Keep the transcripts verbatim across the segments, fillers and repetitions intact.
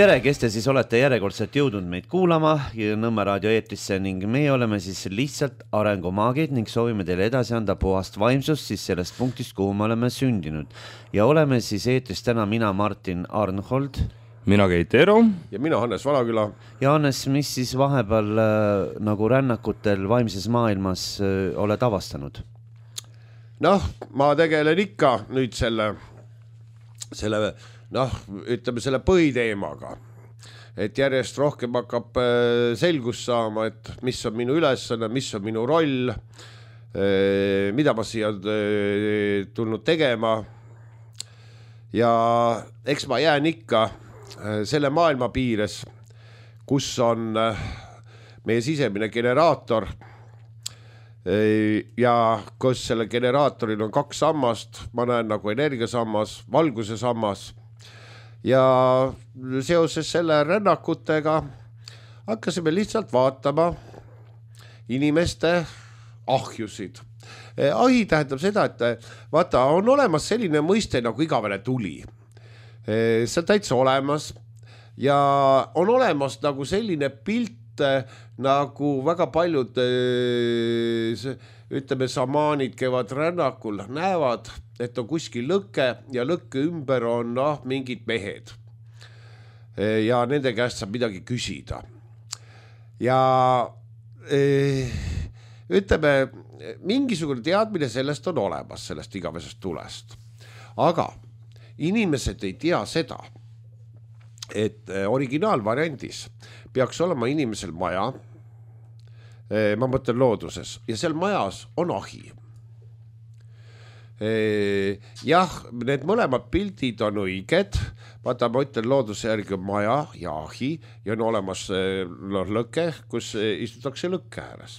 tere, kes te siis olete järjekordselt jõudnud meid kuulama Nõmme raadio eetrisse ning meie oleme siis lihtsalt arengumaagid ning soovime teile edasi anda puhast vaimsust siis sellest punktist, kuhu me oleme sündinud. Ja oleme siis eetris täna mina, Martin Arnhold. Mina Keit Eero. Ja mina Hannes Valaküla. Ja Hannes, mis siis vahepeal äh, nagu rännakutel vaimses maailmas äh, oled avastanud? Noh, ma tegelen ikka nüüd selle, selle noh, ütleme selle põhiteemaga, et järjest rohkem hakkab selgus saama, et mis on minu ülesanne, mis on minu roll, mida ma siia tulnud tegema. Ja eks ma jään ikka selle maailma piires, kus on meie sisemine generaator ja kus selle generaatoril on kaks sammast, ma näen nagu energiasammas, valguse sammas. Ja seoses selle rännakutega hakkasime lihtsalt vaatama inimeste ahjusid. Ahi tähendab seda, et vaata, on olemas selline mõiste nagu igavene tuli. See on täitsa olemas ja on olemas nagu selline pilt, nagu väga paljud ütleme samaanid käivad rännakul, näevad, et on kuskil lõkke ja lõkke ümber on noh, mingid mehed. Ja nende käest saab midagi küsida. Ja ütleme, mingisugune teadmine sellest on olemas, sellest igavesest tulest. Aga inimesed ei tea seda, et originaalvariandis peaks olema inimesel maja, ma mõtlen looduses, ja seal majas on ahi. Jah, need mõlemad pildid on õiged, vaata ma ütlen looduse järgi on maja ja ahi ja on olemas lõke, kus istutakse lõkke ääres.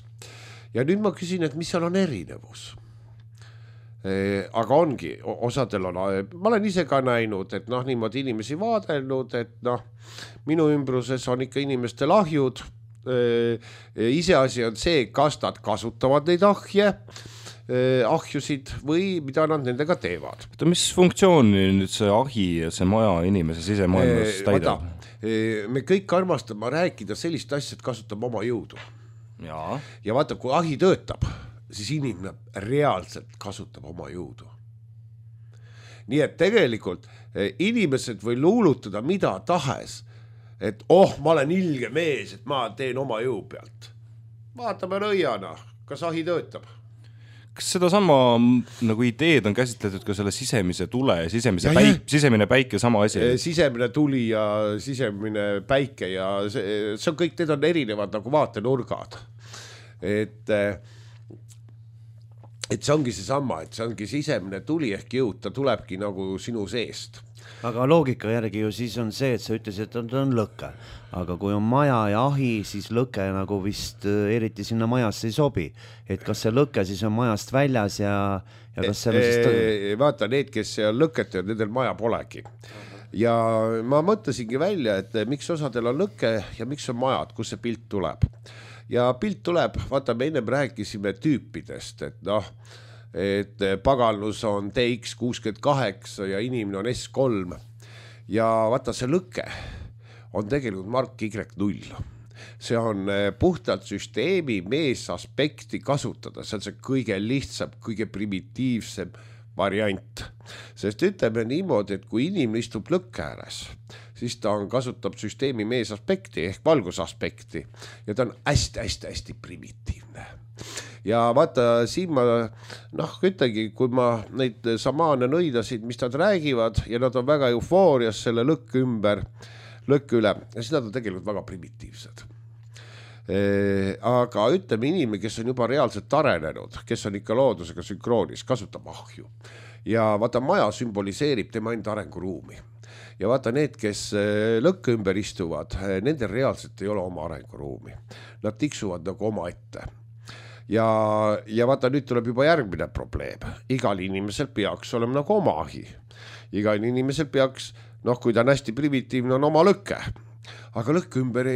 Ja nüüd ma küsin, et mis seal on erinevus? Aga ongi, osadel on, ma olen ise ka näinud, et noh, niimoodi inimesi vaadelnud, et noh, minu ümbruses on ikka inimestel ahjud, iseasi on see, kas nad kasutavad neid ahje, ahjusid või mida nad nendega teevad. Mis funktsiooni nüüd see ahi ja see maja inimese sisemaailmas täidab? Me kõik armastame rääkida sellist asja, et kasutame oma jõudu. Ja, ja vaata, kui ahi töötab, siis inimene reaalselt kasutab oma jõudu. Nii et tegelikult inimesed või luulutada mida tahes, et oh, ma olen ilge mees, et ma teen oma jõu pealt. Vaatame nõiana, kas ahi töötab. Kas seda sama nagu ideed on käsitletud ka selle sisemise tule, sisemise ja, päik, sisemine päike sama asi? Sisemine tuli ja sisemine päike ja see, see on kõik, need on erinevad nagu vaatenurgad. Et, et see ongi see sama, et see ongi sisemine tuli ehk jõud, ta tulebki nagu sinu seest. Aga loogika järgi ju siis on see, et sa ütlesid, et on lõke. Aga kui on maja ja ahi, siis lõke nagu vist eriti sinna majasse ei sobi. Et kas see lõke siis on majast väljas ja, ja kas see on siis... E, vaata, need, kes lõket ja nendel maja polegi. Ja ma mõtlesingi välja, et miks osadel on lõke ja miks on majad, kus see pilt tuleb. Ja pilt tuleb, vaata, me ennem rääkisime tüüpidest, et noh, et pagalus on T X kuuskümmend kaheksa ja inimene on S kolm. Ja vaata, see lõke on tegelikult Mark Y null. See on puhtalt süsteemi mees aspekti kasutada. See on see kõige lihtsam, kõige primitiivsem variant. Sest ütleme niimoodi, et kui inimene istub lõkke ääres, siis ta on, kasutab süsteemi mees aspekti ehk valgusaspekti ja ta on hästi-hästi-hästi primitiivne. Ja vaata, siin ma, noh, ütlegi, kui ma neid samaane nõidasid, mis nad räägivad ja nad on väga eufoorias selle lõkke ümber, lõkke üle, ja siis nad on tegelikult väga primitiivsed. E, aga ütleme inimene, kes on juba reaalselt arenenud, kes on ikka loodusega sünkroonis, kasutab ahju. Ja vaata, maja sümboliseerib tema enda arenguruumi. Ja vaata, need, kes lõkke ümber istuvad, nendel reaalselt ei ole oma arenguruumi. Nad tiksuvad nagu oma ette. Ja, ja vaata, nüüd tuleb juba järgmine probleem. Igal inimesel peaks olema nagu oma ahi. Igal inimesel peaks, noh, kui ta on hästi primitiivne, on oma lõkke. Aga lõkke ümber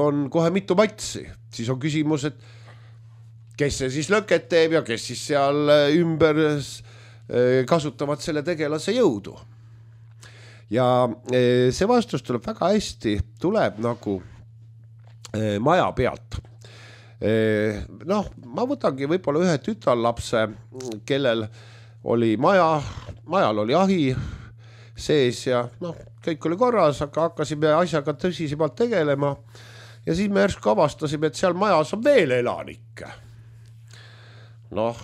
on kohe mitu matsi. Siis on küsimus, et kes see siis lõket teeb ja kes siis seal ümber kasutavad selle tegelase jõudu. ja see vastus tuleb väga hästi, tuleb nagu maja pealt. Noh, ma võtangi võib-olla ühe tütarlapse, kellel oli maja, majal oli ahi sees ja noh, kõik oli korras, aga hakkasime asjaga tõsisemalt tegelema ja siis me järsku avastasime, et seal majas on veel elanikke. Noh,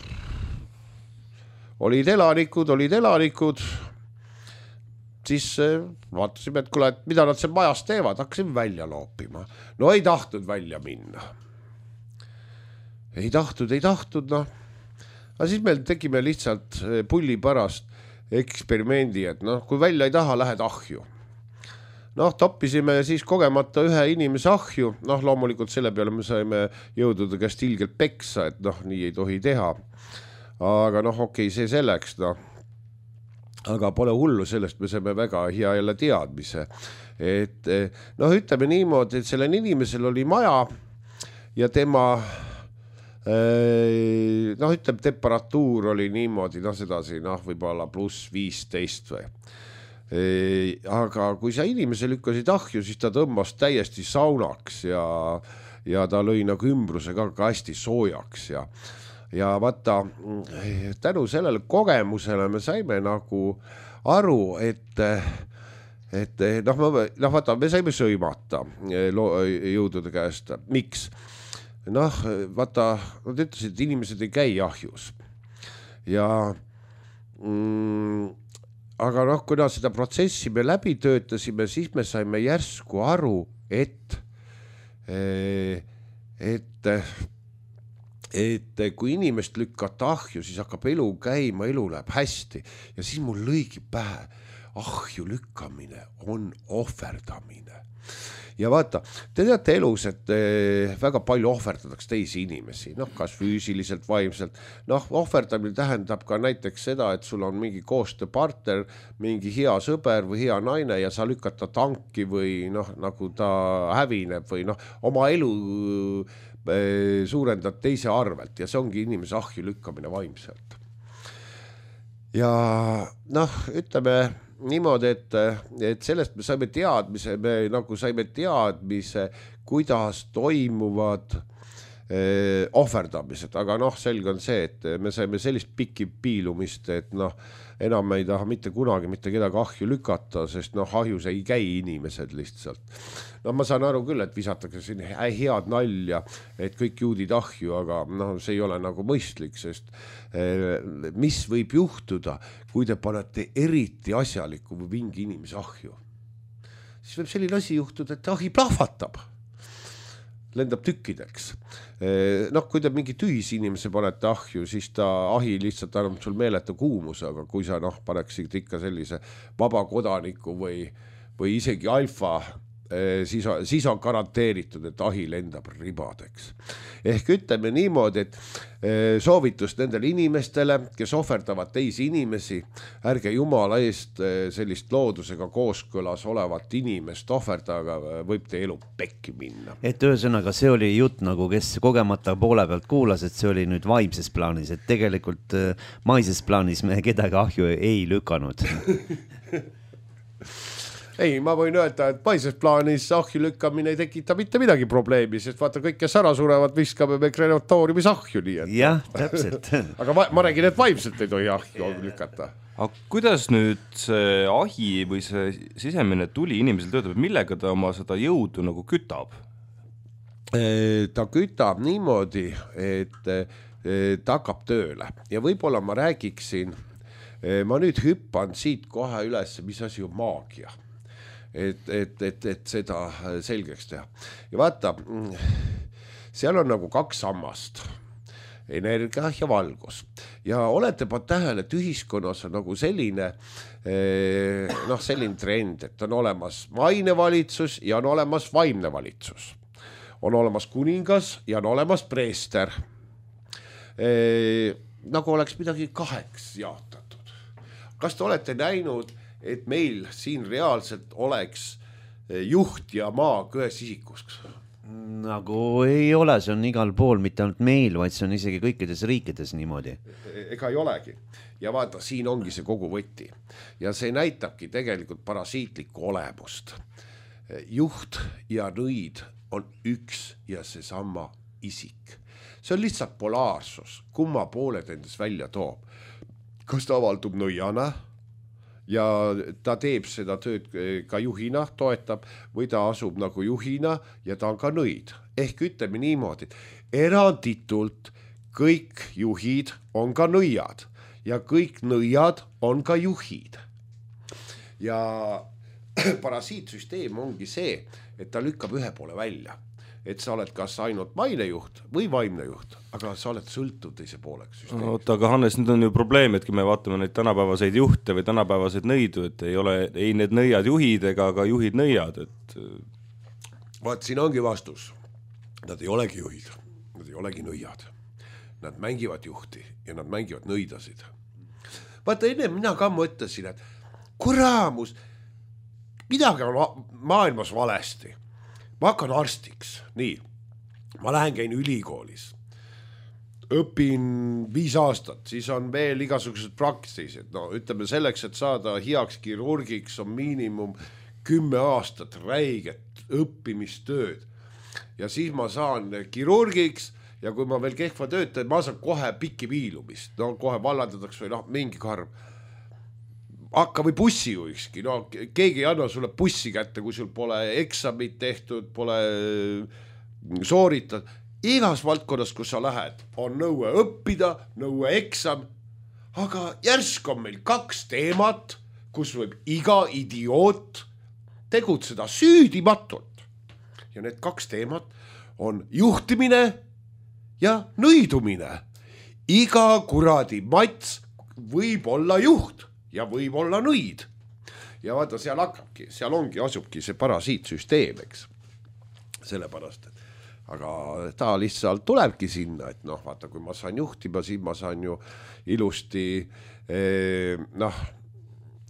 olid elanikud, olid elanikud, siis vaatasime, et kuule, et mida nad seal majas teevad, hakkasime välja loopima. No ei tahtnud välja minna. Ei tahtnud, ei tahtnud, noh. Aga siis meil tegime lihtsalt pulli pärast eksperimendi, et noh, kui välja ei taha, lähed ahju. Noh, toppisime siis kogemata ühe inimese ahju, noh, loomulikult selle peale me saime jõududa käest ilgelt peksa, et noh, nii ei tohi teha. Aga noh, okei, see selleks, noh. Aga pole hullu sellest, me saime väga hea jälle teadmise. Et noh, ütleme niimoodi, et sellel inimesel oli maja ja tema noh, ütleme, temperatuur oli niimoodi, noh, sedasi, noh, võib-olla pluss viisteist või. Aga kui sa inimese lükkasid ahju, siis ta tõmbas täiesti saunaks ja, ja ta lõi nagu ümbrusega ka hästi soojaks ja, ja vaata, tänu sellele kogemusele me saime nagu aru, et, et noh, noh, vaata, me saime sõimata jõudude käest. Miks? Noh, vaata, nad ütlesid, et inimesed ei käi ahjus ja mm, aga noh, kuna seda protsessi me läbi töötasime, siis me saime järsku aru, et et et kui inimest lükkata ahju, siis hakkab elu käima, elu läheb hästi ja siis mul lõigi pähe, ahju lükkamine on ohverdamine. Ja vaata, te teate elus, et väga palju ohverdatakse teisi inimesi, noh, kas füüsiliselt, vaimselt. Noh, ohverdamine tähendab ka näiteks seda, et sul on mingi koostööpartner, mingi hea sõber või hea naine ja sa lükad ta tanki või noh, nagu ta hävineb või noh, oma elu suurendad teise arvelt ja see ongi inimese ahju lükkamine vaimselt. Ja noh, ütleme niimoodi, et, et sellest me saime teadmise, me nagu saime teadmise, kuidas toimuvad eh, ohverdamised, aga noh, selge on see, et me saime sellist pikki piilumist, et noh, enam ei taha mitte kunagi mitte kedagi ahju lükata, sest noh, ahjus ei käi inimesed lihtsalt. No ma saan aru küll, et visatakse siin head nalja, et kõik juudid ahju, aga noh, see ei ole nagu mõistlik, sest eh, mis võib juhtuda, kui te panete eriti asjaliku või mingi inimese ahju? Siis võib selline asi juhtuda, et ahi plahvatab, lendab tükkideks. Noh, kui te mingi tühis inimese panete ahju, siis ta ahi lihtsalt annab sul meeletu kuumuse, aga kui sa noh, paneksid ikka sellise vaba kodaniku või, või isegi alfa, siis on, siis on garanteeritud, et ahi lendab ribadeks. Ehk ütleme niimoodi, et soovitus nendele inimestele, kes ohverdavad teisi inimesi, ärge jumala eest sellist loodusega kooskõlas olevat inimest ohverdaga, võib te elu pekki minna. Et ühesõnaga, see oli jutt nagu, kes kogemata poole pealt kuulas, et see oli nüüd vaimses plaanis, et tegelikult maises plaanis me kedagi ahju ei lükanud. Ei, ma võin öelda, et paises plaanis ahju lükkamine ei tekita mitte midagi probleemi, sest vaata kõik, kes ära surevad, viskame me krematooriumis ahju nii. Et... jah, täpselt. aga ma, ma räägin, et vaimselt ei tohi ahju lükata. Aga kuidas nüüd see ahi või see sisemine tuli inimesel töötab, millega ta oma seda jõudu nagu kütab? Ta kütab niimoodi, et ta hakkab tööle ja võib-olla ma räägiksin, ma nüüd hüppan siit kohe üles, mis asi on maagia. Et, et, et, et seda selgeks teha. Ja vaata, seal on nagu kaks sammast, energia ja valgus. Ja olete pa tähele, et ühiskonnas on nagu selline, noh, selline trend, et on olemas maine valitsus ja on olemas vaimne valitsus. On olemas kuningas ja on olemas preester. Nagu oleks midagi kaheks jaotatud. Kas te olete näinud, et meil siin reaalselt oleks juht ja maag ühes isikus. Nagu ei ole, see on igal pool, mitte ainult meil, vaid see on isegi kõikides riikides niimoodi. Ega ei olegi. Ja vaata, siin ongi see kogu võti. Ja see näitabki tegelikult parasiitlikku olemust. Juht ja nõid on üks ja seesama isik. See on lihtsalt polaarsus, kumma pooled endas välja toob. Kas ta avaldub nõiana ja ta teeb seda tööd ka juhina, toetab, või ta asub nagu juhina ja ta on ka nõid. Ehk ütleme niimoodi, eranditult kõik juhid on ka nõiad ja kõik nõiad on ka juhid. Ja parasiitsüsteem ongi see, et ta lükkab ühe poole välja. Et sa oled kas ainult mainejuht või vaimne juht, aga sa oled sõltuv teise pooleks süsteemist. Oota, aga Hannes, nüüd on ju probleem, et kui me vaatame neid tänapäevaseid juhte või tänapäevaseid nõidu, et ei ole ei need nõiad juhid ega ka juhid nõiad. Et... Vaat siin ongi vastus. Nad ei olegi juhid, nad ei olegi nõiad. Nad mängivad juhti ja nad mängivad nõidasid. Vaata, enne mina ka mõtlesin, et kuraamus, midagi on maailmas valesti. Ma hakkan arstiks, nii, ma lähen käin ülikoolis, õpin viis aastat, siis on veel igasugused praktised, no ütleme selleks, et saada heaks kirurgiks on miinimum kümme aastat räiget õppimistööd ja siis ma saan kirurgiks ja kui ma veel kehva töötan, ma saan kohe pikki viilumist, no kohe vallandatakse või noh, mingi karv. Hakka või bussi juhikski, no keegi ei anna sulle bussi kätte, kui sul pole eksamit tehtud, pole sooritud. Igas valdkonnas, kus sa lähed, on nõue õppida, nõue eksam, aga järsk on meil kaks teemat, kus võib iga idioot tegutseda süüdimatult. Ja need kaks teemat on juhtimine ja nõidumine. Iga kuradi mats võib olla juht ja võib olla nõid. Ja vaata, seal hakkabki, seal ongi, asubki see parasiitsüsteem, eks. Sellepärast, et aga ta lihtsalt tulebki sinna, et noh, vaata, kui ma saan juhtima, siis ma saan ju ilusti eh, noh,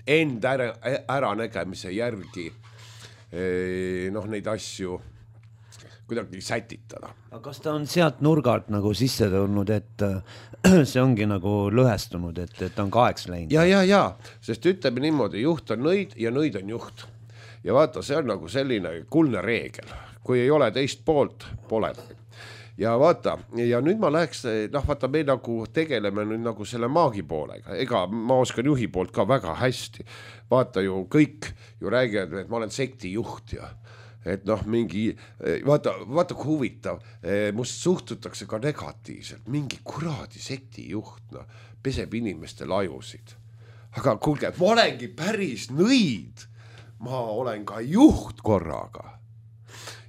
end ära, ära nägemise järgi eh, noh, neid asju kuidagi sätitada. Aga kas ta on sealt nurgalt nagu sisse tulnud, et see ongi nagu lõhestunud, et, et ta on kaheks läinud? Ja, ja, ja, sest ütleme niimoodi, juht on nõid ja nõid on juht. Ja vaata, see on nagu selline kuldne reegel. Kui ei ole teist poolt, pole. Ja vaata, ja nüüd ma läheks, noh vaata, me nagu tegeleme nüüd nagu selle maagi poolega. Ega ma oskan juhi poolt ka väga hästi. Vaata ju, kõik ju räägivad, et ma olen sekti juht ja et noh, mingi, vaata, vaata kui huvitav, must suhtutakse ka negatiivselt, mingi kuradi sekti juht, no, peseb inimeste lajusid. Aga kuulge, ma olengi päris nõid, ma olen ka juht korraga.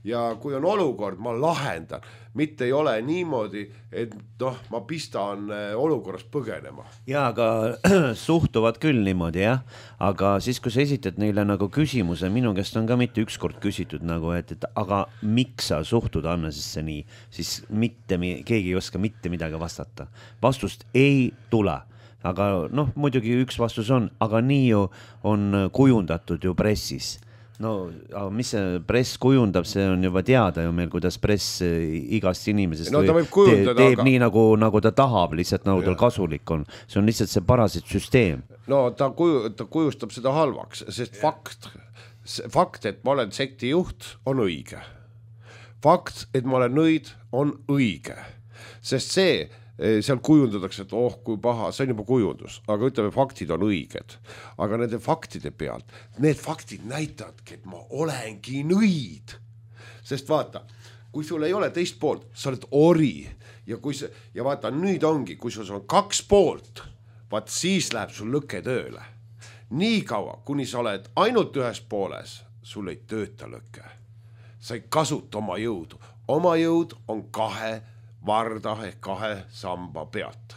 Ja kui on olukord, ma lahendan, mitte ei ole niimoodi, et noh, ma pistan olukorras põgenema. Ja, aga suhtuvad küll niimoodi, jah. Aga siis, kui sa esitad neile nagu küsimuse, minu käest on ka mitte ükskord küsitud nagu, et, et aga miks sa suhtud Hannesesse nii, siis mitte, keegi ei oska mitte midagi vastata. Vastust ei tule. Aga noh, muidugi üks vastus on, aga nii ju on kujundatud ju pressis. No, mis see press kujundab, see on juba teada ju meil, kuidas press igast inimesest no, võib kujundada, teeb aga... nii, nagu, nagu ta tahab, lihtsalt nagu tal kasulik on. See on lihtsalt see parasiit süsteem. No ta, kuju, ta kujustab seda halvaks, sest fakt, fakt, et ma olen sekti juht, on õige. Fakt, et ma olen nõid, on õige. Sest see seal kujundatakse, et oh, kui paha, see on juba kujundus, aga ütleme, faktid on õiged. Aga nende faktide pealt, need faktid näitavadki, et ma olengi nõid. Sest vaata, kui sul ei ole teist poolt, sa oled ori. Ja, kui see, ja vaata, nüüd ongi, kui sul on kaks poolt, vaat siis läheb sul lõke tööle. Nii kaua, kuni sa oled ainult ühes pooles, sul ei tööta lõke. Sa ei kasuta oma jõudu. Oma jõud on kahe varda ehk kahe samba pealt.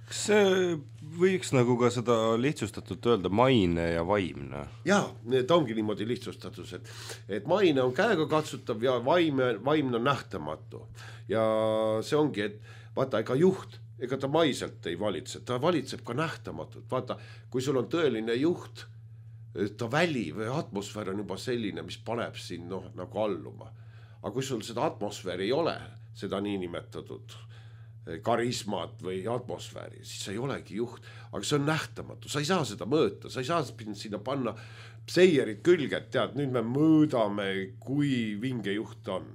Kas see võiks nagu ka seda lihtsustatult öelda maine ja vaimne? Jaa, need ongi niimoodi lihtsustatus, et, et maine on käega katsutav ja vaimne, vaimne on nähtamatu. Ja see ongi, et vaata, ega juht, ega ta maiselt ei valitse, ta valitseb ka nähtamatult. Vaata, kui sul on tõeline juht, ta väli või atmosfäär on juba selline, mis paneb siin noh, nagu alluma. aga kui sul seda atmosfääri ei ole, seda niinimetatud karismat või atmosfääri, siis sa ei olegi juht, aga see on nähtamatu, sa ei saa seda mõõta, sa ei saa sinna panna seierid külge, et tead, nüüd me mõõdame, kui vinge juht on.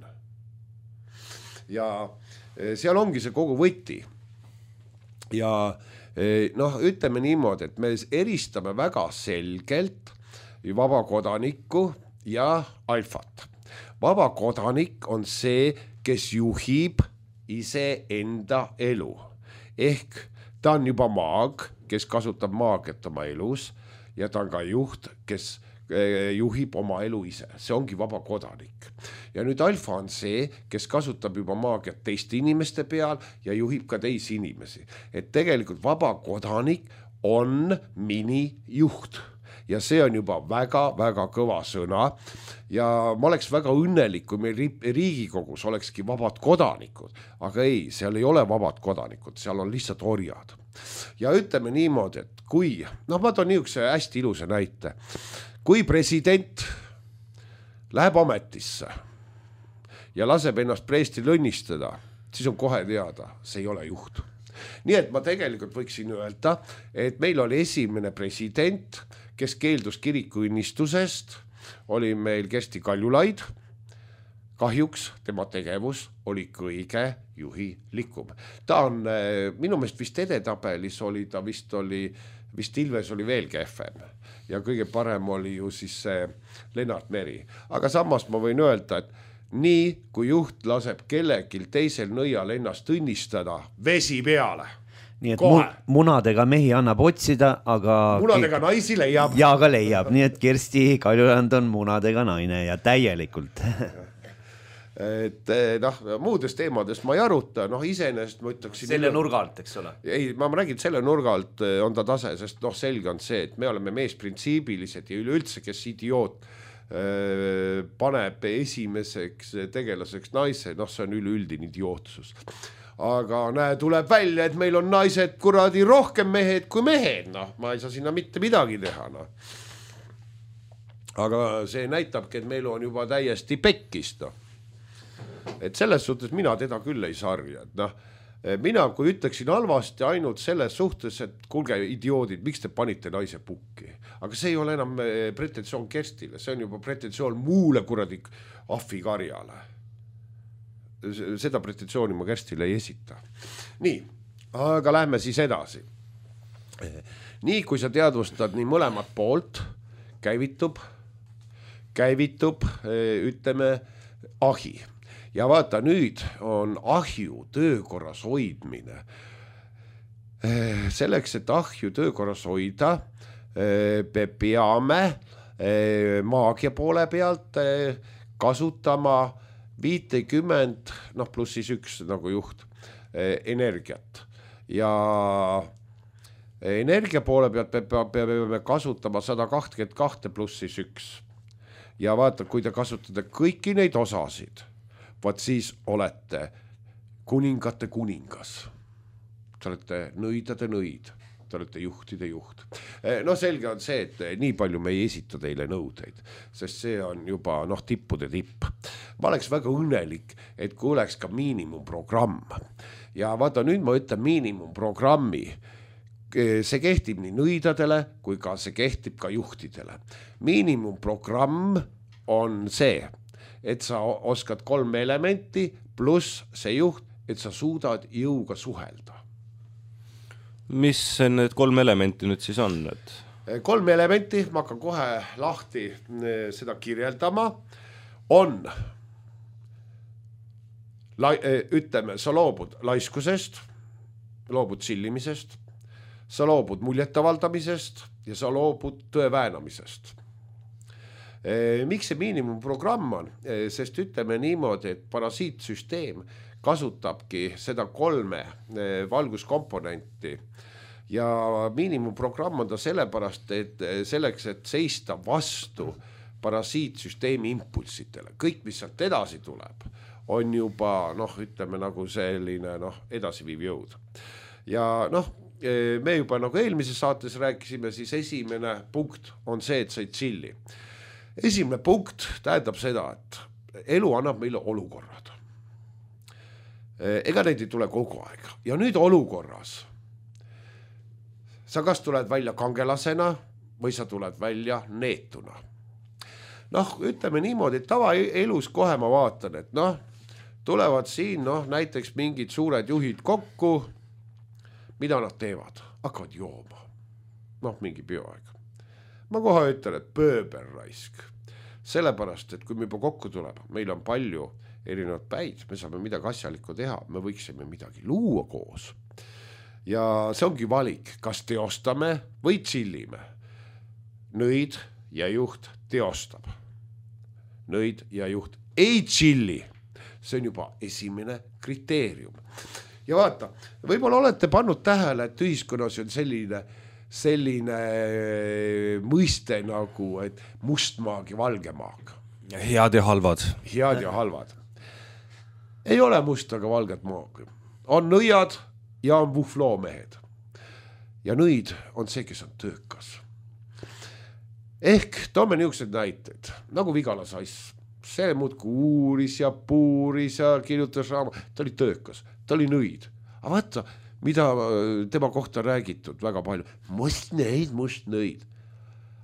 Ja seal ongi see kogu võti. Ja noh, ütleme niimoodi, et me eristame väga selgelt vaba kodanikku ja alfat. Vaba kodanik on see, kes juhib ise enda elu. Ehk ta on juba maag, kes kasutab maagiat oma elus ja ta on ka juht, kes juhib oma elu ise. See ongi vaba kodanik. Ja nüüd alfa on see, kes kasutab juba maagiat teiste inimeste peal ja juhib ka teisi inimesi. Et tegelikult vaba kodanik on minijuht. Ja see on juba väga-väga kõva sõna ja ma oleks väga õnnelik, kui meil Riigikogus olekski vabad kodanikud, aga ei, seal ei ole vabad kodanikud, seal on lihtsalt orjad. Ja ütleme niimoodi, et kui, noh ma toon niisuguse hästi ilusa näite, kui president läheb ametisse ja laseb ennast preestil õnnistada, siis on kohe teada, see ei ole juht. Nii et ma tegelikult võiksin öelda, et meil oli esimene president, kes keeldus kirikuinnistusest, oli meil Kersti Kaljulaid. Kahjuks tema tegevus oli kõige juhilikum. Ta on, minu meelest vist edetabelis oli, ta vist oli, vist Ilves oli veel kehvem. Ja kõige parem oli ju siis see Lennart Meri. Aga samas ma võin öelda, et nii kui juht laseb kellelgi teisel nõial ennast õnnistada, vesi peale. Nii et Kohe. munadega mehi annab otsida, aga... Munadega naisi leiab. Ja ka leiab, nii et Kersti Kaljurand on munadega naine ja täielikult. et noh, muudest teemadest ma ei aruta, noh iseenesest ma ütleksin... Selle nurga alt, eks ole? Ei, ma räägin, selle nurga alt on ta tase, sest noh, selge on see, et me oleme meesprintsiibilised ja üleüldse, kes idioot paneb esimeseks tegelaseks naise, noh see on üleüldine idiootsus. Aga näe, tuleb välja, et meil on naised kuradi rohkem mehed kui mehed, noh, ma ei saa sinna mitte midagi teha, noh. Aga see näitabki, et meil on juba täiesti pekkist, noh. Et selles suhtes mina teda küll ei sarja, et noh, mina kui ütleksin halvasti ainult selles suhtes, et kuulge idioodid, miks te panite naise pukki? Aga see ei ole enam pretensioon Kerstile, see on juba pretensioon muule kuradi ahvikarjale. Seda pretensiooni ma Kerstile ei esita. Nii, aga lähme siis edasi. Nii kui sa teadvustad nii mõlemat poolt, käivitub, käivitub, ütleme, ahi. Ja vaata, nüüd on ahju töökorras hoidmine. Selleks, et ahju töökorras hoida, peame maagia poole pealt kasutama viitekümmend, noh pluss siis üks nagu juht, energiat. Ja energia poole pealt peame kasutama sada kakskümmend kaks pluss siis üks. Ja vaata, kui te kasutate kõiki neid osasid, vaat siis olete kuningate kuningas. Te olete nõidade nõid, te olete juhtide juht. No selge on see, et nii palju me ei esita teile nõudeid, sest see on juba noh, tippude tipp. Ma oleks väga õnnelik, et kui oleks ka miinimumprogramm. Ja vaata, nüüd ma ütlen miinimumprogrammi. See kehtib nii nõidadele, kui ka see kehtib ka juhtidele. Miinimumprogramm on see, et sa oskad kolm elementi pluss see juht, et sa suudad jõuga suhelda. Mis need kolm elementi nüüd siis on? Et... Kolm elementi, ma hakkan kohe lahti seda kirjeldama, on, la, ütleme, sa loobud laiskusest, loobud sillimisest, sa loobud muljetavaldamisest ja sa loobud tõe väänamisest. Miks see miinimumprogramm on? Sest ütleme niimoodi, et parasiitsüsteem kasutabki seda kolme valguskomponenti ja miinimumprogramm on ta sellepärast, et selleks, et seista vastu parasiitsüsteemi impulsitele. Kõik, mis sealt edasi tuleb, on juba, noh, ütleme nagu selline, noh, edasiviiv jõud. Ja noh, me juba nagu eelmises saates rääkisime, siis esimene punkt on see, et sa ei chilli. Esimene punkt tähendab seda, et elu annab meile olukorrad. Ega neid ei tule kogu aeg. Ja nüüd olukorras sa kas tuled välja kangelasena või sa tuled välja neetuna. Noh, ütleme niimoodi, et tava elus kohe ma vaatan, et noh, tulevad siin noh, näiteks mingid suured juhid kokku, mida nad teevad? Hakkavad jooma. Noh, mingi bioaeg. Ma kohe ütlen, et pööber raisk. Sellepärast, et kui me juba kokku tuleb, meil on palju erinevad päid, me saame midagi asjalikku teha, me võiksime midagi luua koos. Ja see ongi valik, kas teostame või chillime. Nõid ja juht teostab. Nõid ja juht ei chilli. See on juba esimene kriteerium. Ja vaata, võib-olla olete pannud tähele, et ühiskonnas on selline, selline mõiste nagu, et mustmaag ja valgemaag. Head ja halvad. Head ja halvad. Ei ole mustaga valget maag. On nõiad ja on vuhvloomehed. Ja nõid on see, kes on töökas. Ehk toome niisugused näited, nagu Vigala Sass. See muudku uuris ja puuris ja kirjutas raama. Ta oli töökas, ta oli nõid. Aga vaata, mida tema kohta räägitud väga palju. Must nõid, must nõid.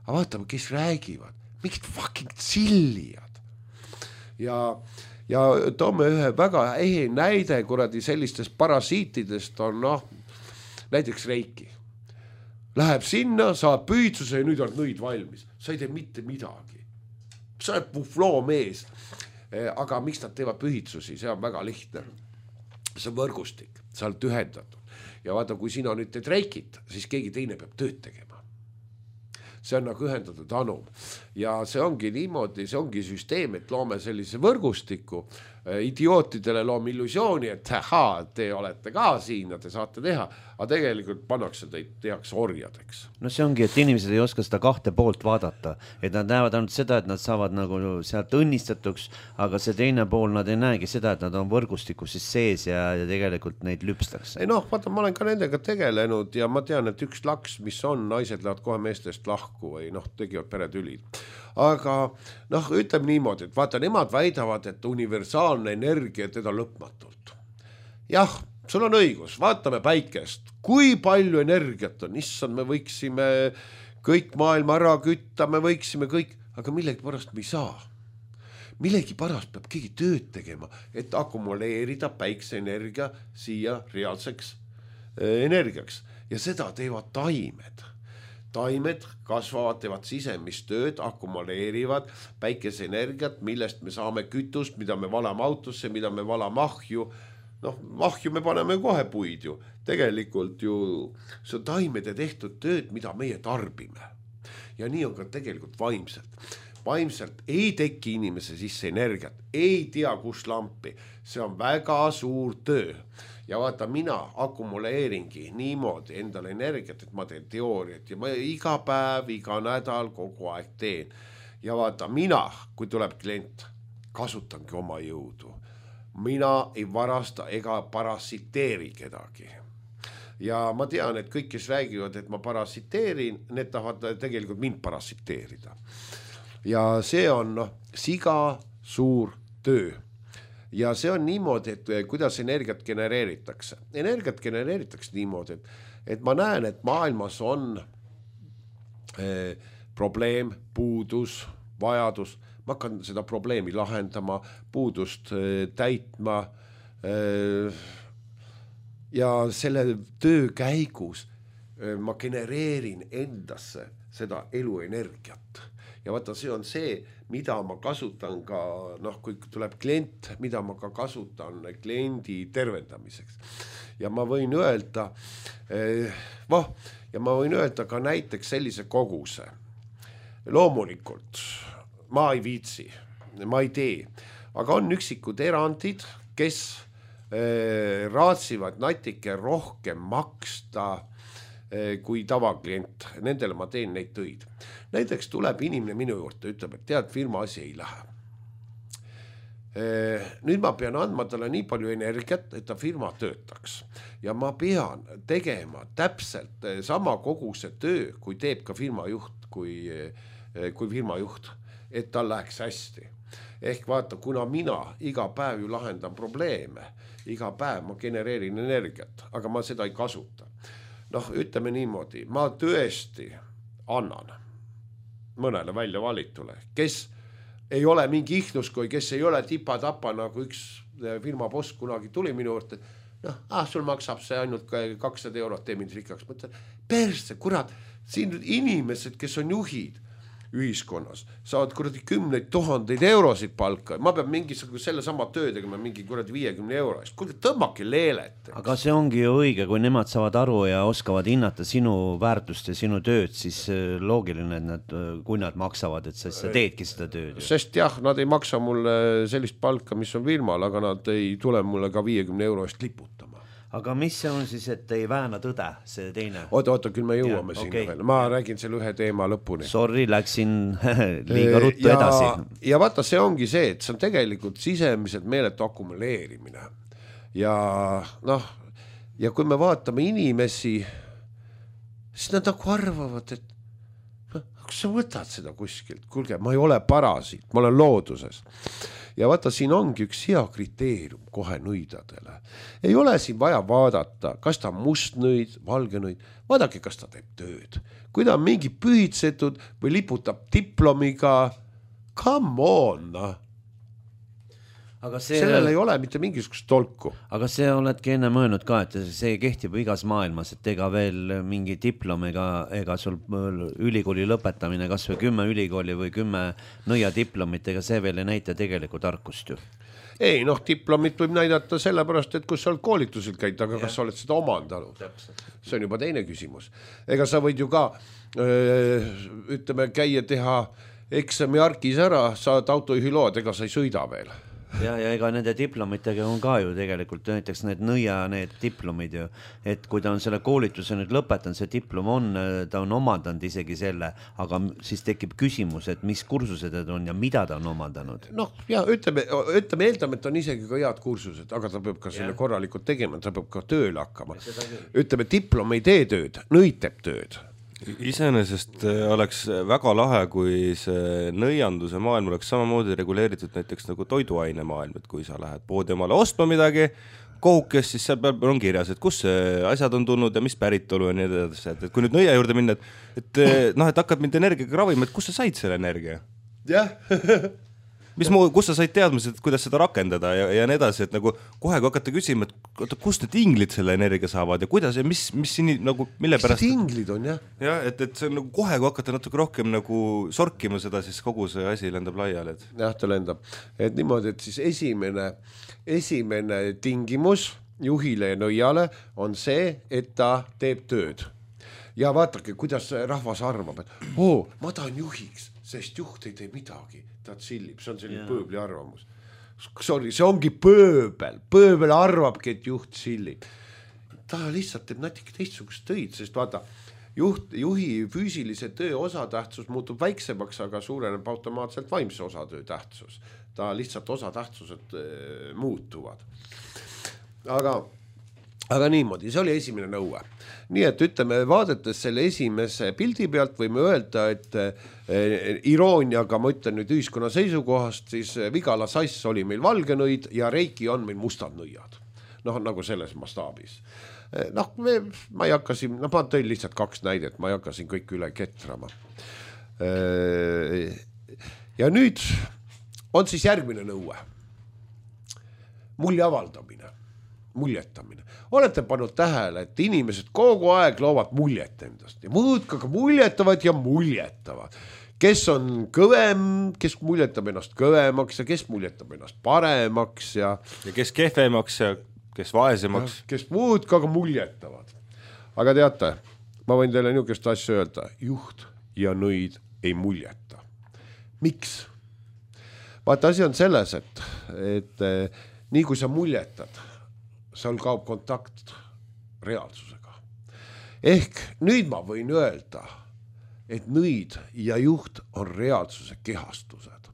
Aga vaata, kes räägivad. Mingid fucking tsillijad. Ja, ja toome ühe väga ehe näide, kuradi sellistest parasiitidest on noh, näiteks Reiki. Läheb sinna, saab püüdsuse ja nüüd on nõid valmis. Sa ei tee mitte midagi. Sa oled buffloo mees. Aga miks nad teevad pühitsusi? See on väga lihtne. See on võrgustik. Sa oled ühendatud. Ja vaata, kui sina nüüd teed reikit, siis keegi teine peab tööd tegema. See on nagu ühendatud anum. Ja see ongi niimoodi, see ongi süsteem, et loome sellise võrgustiku. Idiootidele loome illusiooni, et aha, te olete ka siin ja te saate teha. Aga tegelikult pannakse teid, tehakse orjadeks. No see ongi, et inimesed ei oska seda kahte poolt vaadata. Et nad näevad ainult seda, et nad saavad nagu sealt õnnistatuks, aga see teine pool nad ei näegi seda, et nad on võrgustikus siis sees ja, ja tegelikult neid lüpstakse. Ei noh, vaata, ma olen ka nendega tegelenud ja ma tean, et üks laks, mis on, naised lähevad kohe meestest lahku või noh, tegivad peretülid. Aga noh, ütleme niimoodi, et vaata, nemad väidavad, et universaalne energia teda lõpmatult. Jah, sul on õigus, vaatame päikest, kui palju energiat on, issand, me võiksime kõik maailma ära kütta, me võiksime kõik, aga millegi pärast me ei saa. Millegi pärast peab keegi tööd tegema, et akumuleerida päikseenergia siia reaalseks energiaks ja seda teevad taimed. Taimed kasvavad, teevad sisemist tööd, akumuleerivad päikeseenergiat, millest me saame kütust, mida me valame autosse, mida me valame ahju. Noh, ahju me paneme kohe puid ju. Tegelikult ju see on taimede tehtud tööd, mida meie tarbime. Ja nii on ka tegelikult vaimselt. Vaimselt ei teki inimese sisse energiat, ei tea kus lampi. See on väga suur töö. Ja vaata, mina akumuleeringi niimoodi endale energiat, et ma teen teooriat ja ma iga päev, iga nädal kogu aeg teen. Ja vaata, mina, kui tuleb klient, kasutangi oma jõudu. Mina ei varasta ega parasiteeri kedagi. Ja ma tean, et kõik, kes räägivad, et ma parasiteerin, need tahavad tegelikult mind parasiteerida. Ja see on no, siga suur töö. Ja see on niimoodi, et kuidas energiat genereeritakse. Energiat genereeritakse niimoodi, et, et ma näen, et maailmas on eh, probleem, puudus, vajadus. Ma hakkan seda probleemi lahendama, puudust eh, täitma eh, ja selle töö käigus eh, ma genereerin endasse seda eluenergiat. Ja vaata, see on see, mida ma kasutan ka, noh, kui tuleb klient, mida ma ka kasutan kliendi tervendamiseks. Ja ma võin öelda, eh, voh, ja ma võin öelda ka näiteks sellise koguse. Loomulikult, ma ei viitsi, ma ei tee, aga on üksikud erandid, kes eh, raatsivad natike rohkem maksta kui tavaklient, nendele ma teen neid töid. Näiteks tuleb inimene minu juurde, ütleb, et tead, firma asi ei lähe. Nüüd ma pean andma talle nii palju energiat, et ta firma töötaks. Ja ma pean tegema täpselt sama koguse töö, kui teeb ka firma juht, kui, kui firma juht, et tal läheks hästi. ehk vaata, kuna mina iga päev ju lahendan probleeme, iga päev ma genereerin energiat, aga ma seda ei kasuta. Noh, ütleme niimoodi, ma tõesti annan mõnele välja valitule, kes ei ole mingi ihnuskoi, kes ei ole tipa-tapa, nagu üks firma boss kunagi tuli minu juurde, noh, ah, sul maksab see ainult kakssada eurot, tee mind rikkaks. Mõtlen, perse, kurat, siin inimesed, kes on juhid ühiskonnas, saavad kuradi kümneid tuhandeid eurosid palka. Ma peab mingisugune selle sama töö tegema mingi kuradi viiekümne euro eest. Kuulge, tõmmake leelet. Aga see ongi ju õige, kui nemad saavad aru ja oskavad hinnata sinu väärtust ja sinu tööd, siis loogiline, et nad, kui nad maksavad, et sa, sa teedki seda tööd. Sest jah, nad ei maksa mulle sellist palka, mis on firmal, aga nad ei tule mulle ka viiekümne euro eest liputama. Aga mis see on siis, et ei vääna tõde, see teine? Oota, oota, küll me jõuame ja, sinna okay. veel. Ma räägin selle ühe teema lõpuni. Sorry, läksin liiga ruttu ja, edasi. Ja vaata, see ongi see, et see on tegelikult sisemiselt meeletu akumuleerimine. Ja noh, ja kui me vaatame inimesi, siis nad nagu arvavad, et kas sa võtad seda kuskilt? Kuulge, ma ei ole parasiit, ma olen looduses. Ja vaata, siin ongi üks hea kriteerium kohe nõidadele. Ei ole siin vaja vaadata, kas ta on must nõid, valge nõid. Vaadake, kas ta teeb tööd. Kui ta on mingi pühitsetud või liputab diplomiga, come on, noh. Aga see, sellel ei ole mitte mingisugust tolku. Aga see oledki enne mõelnud ka, et see kehtib igas maailmas, et ega veel mingi diplom ega, ega sul ülikooli lõpetamine, kas või kümme ülikooli või kümme nõia diplomit, ega see veel ei näita tegelikult tarkust ju. Ei, noh, diplomit võib näidata sellepärast, et kus sa oled koolituselt käid, aga ja. Kas sa oled seda omandanud? See on juba teine küsimus. Ega sa võid ju ka, öö, ütleme, käia teha eksami arkis ära, saad autojuhilood, ega sa ei sõida veel. Ja, ja ega nende diplomitega on ka ju tegelikult näiteks need nõia, need diplomid ju, et kui ta on selle koolituse nüüd lõpetanud, see diplom on, ta on omandanud isegi selle, aga siis tekib küsimus, et mis kursused need on ja mida ta on omandanud. Noh, ja ütleme, ütleme eeldame, et on isegi ka head kursused, aga ta peab ka selle ja. Korralikult tegema, ta peab ka tööle hakkama. Ütleme, diplom ei tee tööd, nõiteb tööd. Iseenesest oleks väga lahe, kui see nõianduse maailm oleks samamoodi reguleeritud näiteks nagu toiduaine maailm, et kui sa lähed poodi omale ostma midagi, kohukest, siis seal peal on kirjas, et kus asjad on tulnud ja mis päritolu ja nii edasi, et kui nüüd nõia juurde minna, et, et, noh, et hakkad mind energiaga ravima, et kus sa said selle energia? Jah. Mis muu, kus sa said teadmised, kuidas seda rakendada ja, ja nii edasi, et nagu kohe kui hakata küsima, et kust need inglid selle energia saavad ja kuidas ja mis, mis siin nagu, mille pärast... Mis inglid on, jah? Jah, et, et see on nagu kohe kui hakata natuke rohkem nagu sorkima seda, siis kogu see asi lendab laiali. Et... Jah, ta lendab. Et niimoodi, et siis esimene, esimene tingimus juhile ja nõiale on see, et ta teeb tööd. Ja vaatake, kuidas rahvas arvab, et oo, ma tahan juhiks, sest juht ei tee midagi. Ta tsillib, see on selline yeah. pööbli arvamus. Sorry, see ongi pööbel. Pööbel arvabki, et juht tsillib. Ta lihtsalt teeb natuke teistsugust töid, sest vaata, juht, juhi füüsilise töö osatähtsus muutub väiksemaks, aga suureneb automaatselt vaimse osatöö tähtsus. Ta lihtsalt osatähtsused äh, muutuvad. Aga, aga niimoodi, see oli esimene nõue. Nii et ütleme, vaadates selle esimese pildi pealt võime öelda, et eh, irooniaga ma ütlen nüüd ühiskonna seisukohast, siis Vigala sass oli meil valge nõid ja Reiki on meil mustad nõiad. Noh, nagu selles mastaabis. Eh, noh, me, ma ei hakka siin, no ma tõin lihtsalt kaks näidet, ma ei hakka siin kõik üle ketrama. Eh, ja nüüd on siis järgmine nõue. Mulje avaldamine. Muljetamine. Olete pannud tähele, et inimesed kogu aeg loovad muljet endast ja muudkaga muljetavad ja muljetavad. Kes on kõvem, kes muljetab ennast kõvemaks ja kes muljetab ennast paremaks ja... Ja kes kehvemaks ja kes vaesemaks. Ja kes muudkaga muljetavad. Aga teate, ma võin teile niisugust asja öelda. Juht ja nõid ei muljeta. Miks? Vaata, asi on selles, et, et nii kui sa muljetad, seal kaob kontakt reaalsusega. Ehk nüüd ma võin öelda, et nõid ja juht on reaalsuse kehastused.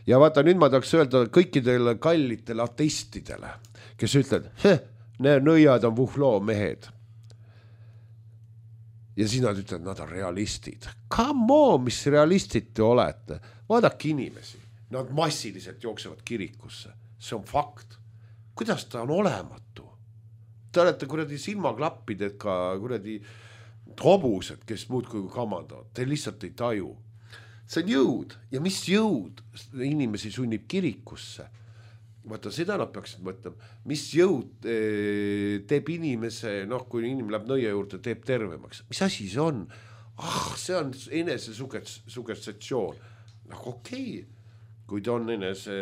Ja vaata, nüüd ma tahaks öelda kõikidele kallitele ateistidele, kes ütlevad, need nõiad on vuhloo mehed. Ja siis nad ütlevad, nad on realistid. Come on, mis realistid te olete? Vaadake inimesi. nad massiliselt jooksevad kirikusse, see on fakt. Kuidas ta on olematu? Te olete kuradi silmaklappidega kuradi hobused, kes muudkui kamandavad, te lihtsalt ei taju. See on jõud ja mis jõud inimesi sunnib kirikusse? Vaata, seda nad peaksid mõtlema, mis jõud teeb inimese, noh, kui inimene läheb nõia juurde, teeb tervemaks. Mis asi see on? Ah, see on enese suggestatsioon. Noh, okei, kui ta on enese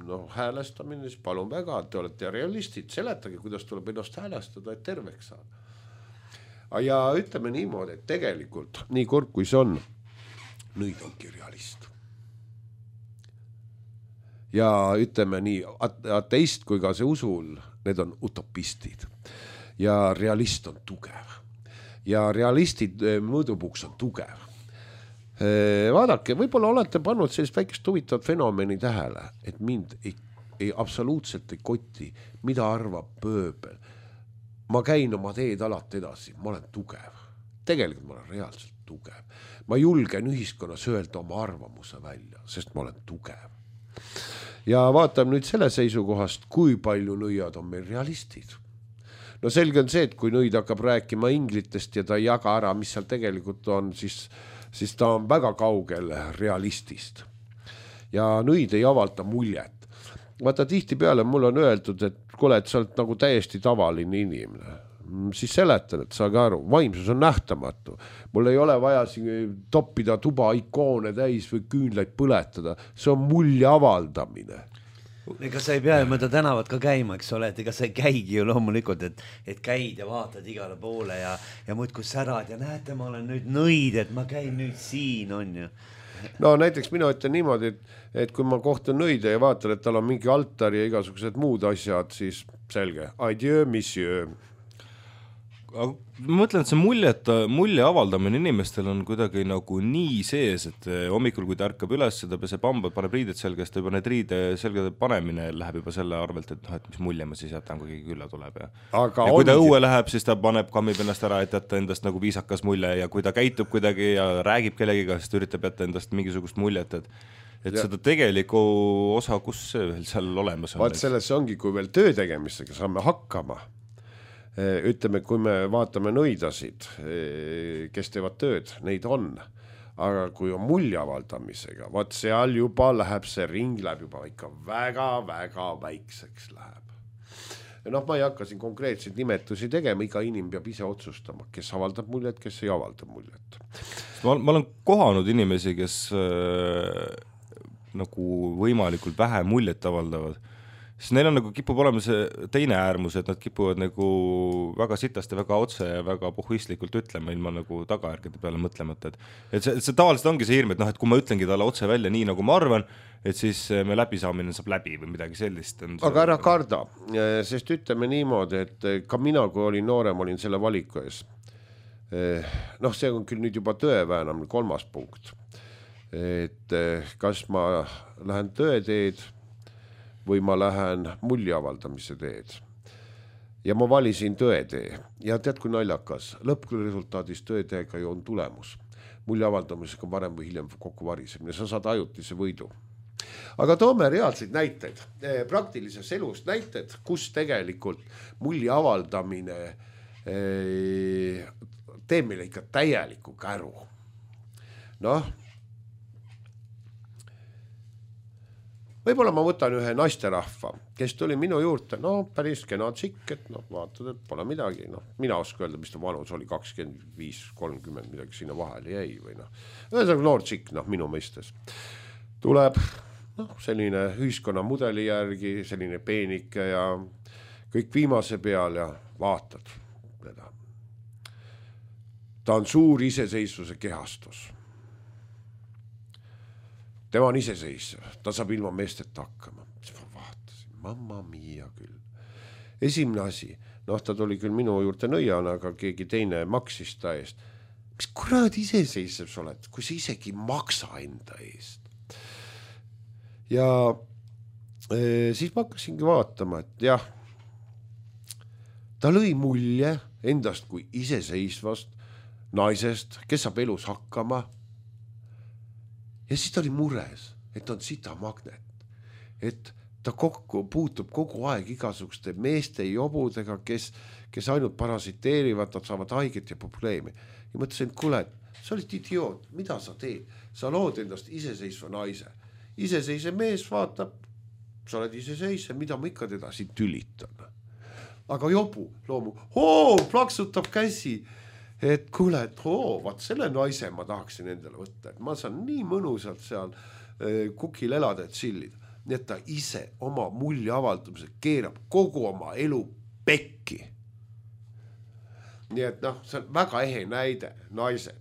no, häälestamine, siis palun väga, te olete realistid, seletage, kuidas tuleb ennast häälestada, et terveks saada. Ja ütleme niimoodi, et tegelikult, nii kord kui see on, nõid ongi realist. Ja ütleme nii, ateist kui ka see usul, need on utopistid. Ja realist on tugev. Ja realistid mõõdupuks on tugev. Vaadake, võib-olla olete pannud sellist väikest huvitavat fenomeni tähele, et mind ei, ei absoluutselt ei koti, mida arvab pööbel. Ma käin oma teed alati edasi, ma olen tugev. Tegelikult ma olen reaalselt tugev. Ma julgen ühiskonnas öelda oma arvamuse välja, sest ma olen tugev. Ja vaatame nüüd selle seisukohast, kui palju nõiad on meil realistid. No selge on see, et kui nõid hakkab rääkima inglitest ja ta ei jaga ära, mis seal tegelikult on, siis, siis ta on väga kaugel realistist. Ja nõid ei avalda muljet. Vaata, tihti peale mul on öeldud, et kuule, et sa oled nagu täiesti tavaline inimene. Siis seletan, et saage aru, vaimsus on nähtamatu. Mul ei ole vaja toppida tuba ikoone täis või küünlaid põletada. See on mulje avaldamine. Ega sa ei pea mõnda tänavat ka käima, eks ole, et ega sa ei käigi ju loomulikult, et, et käid ja vaatad igale poole ja, ja muid kui särad ja näete, ma olen nüüd nõid, et ma käin nüüd siin, on ju. No näiteks mina ütlen niimoodi, et, et kui ma kohtun nõide ja vaatan, et tal on mingi altar ja igasugused muud asjad, siis selge, adieu, monsieur. Aga ma mõtlen, et see muljet, mulje avaldamine inimestel on kuidagi nagu nii sees, et hommikul, kui ta ärkab üles, ta peseb hambad, paneb riided selgest, juba need riide selgede panemine läheb juba selle arvelt, et, noh, et mis mulje ma siis jätan, kui keegi külla tuleb. Ja, ja kui ta õue läheb, siis ta paneb, kammib ennast ära, et jätta endast nagu viisakas mulje ja kui ta käitub kuidagi ja räägib kellegiga, siis ta üritab jätta endast mingisugust muljet, et et ja. Seda tegeliku osa, kus see veel seal olemas on. Vaat selles ongi, kui veel töö tegemistega saame hakkama. Ütleme, kui me vaatame nõidasid, kes teevad tööd, neid on, aga kui on mulje avaldamisega, vaat seal juba läheb see ring, läheb juba ikka väga-väga väikseks läheb. Ja noh, ma ei hakka siin konkreetseid nimetusi tegema, iga inimene peab ise otsustama, kes avaldab muljet, kes ei avalda muljet. Ma, ma olen kohanud inimesi, kes äh, nagu võimalikult vähe muljet avaldavad. Siis neil on nagu kipub olema see teine äärmus, et nad kipuvad nagu väga sitast ja väga otse ja väga pohvistlikult ütlema ilma nagu tagajärgede peale mõtlemata. Et, et see, see tavaliselt ongi see hirm, et, noh, et kui ma ütlengi talle otse välja nii, nagu ma arvan, et siis me läbisaamine saab läbi või midagi sellist. Aga ära karda, sest ütleme niimoodi, et ka mina, kui olin noorem, olin selle valiku ees. Noh, see on küll nüüd juba tõeväänam kolmas punkt. Et kas ma lähen tõeteed või ma lähen mulje avaldamise teed. Ja ma valisin tõetee. Ja tead, kui naljakas, lõppresultaadis tõeteega ju on tulemus. Mulje avaldamisega varem või hiljem kokku varisemine. Sa saad ajutise võidu. Aga toome reaalseid näiteid. Praktilises elus näited, kus tegelikult mulje avaldamine teeb meile ikka täieliku käru. Noh, võib-olla ma võtan ühe naisterahva, kes tuli minu juurde, no päris kena tšikk, et no, vaatad, et pole midagi, no, mina oska öelda, mis ta vanus oli, kakskümmend viis kolmkümmend, midagi sinna vahele jäi või noh, ühesõnaga noor tšikk, noh, minu mõistes. Tuleb, noh, selline ühiskonna mudeli järgi, selline peenike ja kõik viimase peal ja vaatad teda. Ta on suur iseseisvuse kehastus. Tema on iseseisev, ta saab ilma meesteta hakkama. Siis ma vaatasin, mamma mia küll. Esimene asi, noh, ta tuli küll minu juurde nõiana, aga keegi teine maksis ta eest. Mis kurad iseseisev sa oled, kui sa isegi maksa enda eest? Ja e, siis ma hakkasingi vaatama, et jah, ta lõi mulje endast kui iseseisvast naisest, kes saab elus hakkama. Ja siis ta oli mures, et on sitamagnet, et ta kokku puutub kogu aeg igasuguste meeste jobudega, kes, kes ainult parasiteerivad, nad saavad haiget ja probleemi. Ja mõtlesin, et kuule, sa olid idioot, mida sa teed? Sa lood endast iseseisva naise. Iseseisev mees vaatab, sa oled iseseisev, mida ma ikka teda siin tülitan. Aga jobu loomu, oo, plaksutab käsi, et kuule, et oo, vaat selle naise ma tahaksin endale võtta, et ma saan nii mõnusalt seal kukil elada, et sillida. Nii et ta ise oma mulje avaldamise keerab kogu oma elu pekki. Nii et noh, see on väga ehe näide, naised.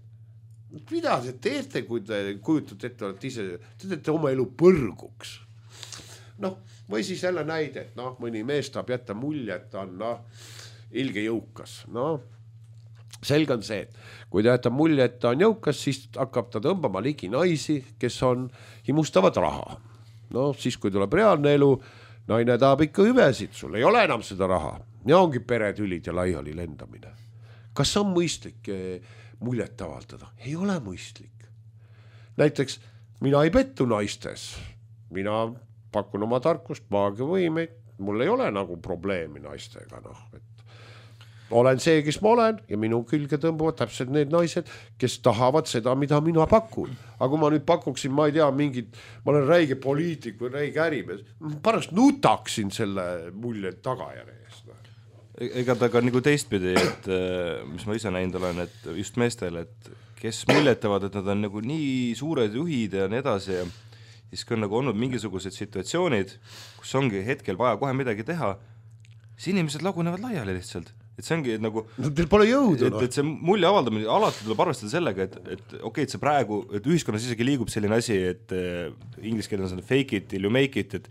Mida te teete, kui te kujutate ette, olete ise, te teete oma elu põrguks. Noh, või siis jälle näide, et noh, mõni mees tahab jätta mulje, et ta on noh, ilge jõukas. Noh, selge on see, et kui ta jätta mulje, et ta on jõukas, siis hakkab ta tõmbama ligi naisi, kes on himustavad raha. No siis, kui tuleb reaalne elu, naine tahab ikka hüvesid, sul ei ole enam seda raha. Ja ongi peretülid ja laiali lendamine. Kas on mõistlik muljet avaldada? Ei ole mõistlik. Näiteks, mina ei pettu naistes. Mina pakun oma tarkust, maagia võimeid. Mul ei ole nagu probleemi naistega. Noh, et olen see, kes ma olen ja minu külge tõmbuvad täpselt need naised, kes tahavad seda, mida mina pakun. Aga kui ma nüüd pakuksin, ma ei tea, mingid, ma olen räige poliitik või räige ärimees, pärast nutaksin selle mulje tagajärje eest. Ega ta ka nagu teistpidi, et mis ma ise näinud olen, et just meestel, et kes muljetavad, et nad on nagu nii suured juhid ja nii edasi ja siis kui on nagu olnud mingisugused situatsioonid, kus ongi hetkel vaja kohe midagi teha, siis inimesed lagunevad laiali lihtsalt. Et see ongi et nagu no, teil pole jõudu, et, et see mulje avaldamine alati tuleb arvestada sellega, et, et okei, okay, et see praegu, et ühiskonnas isegi liigub selline asi, et äh, inglise keeles on fake it till you make it, et,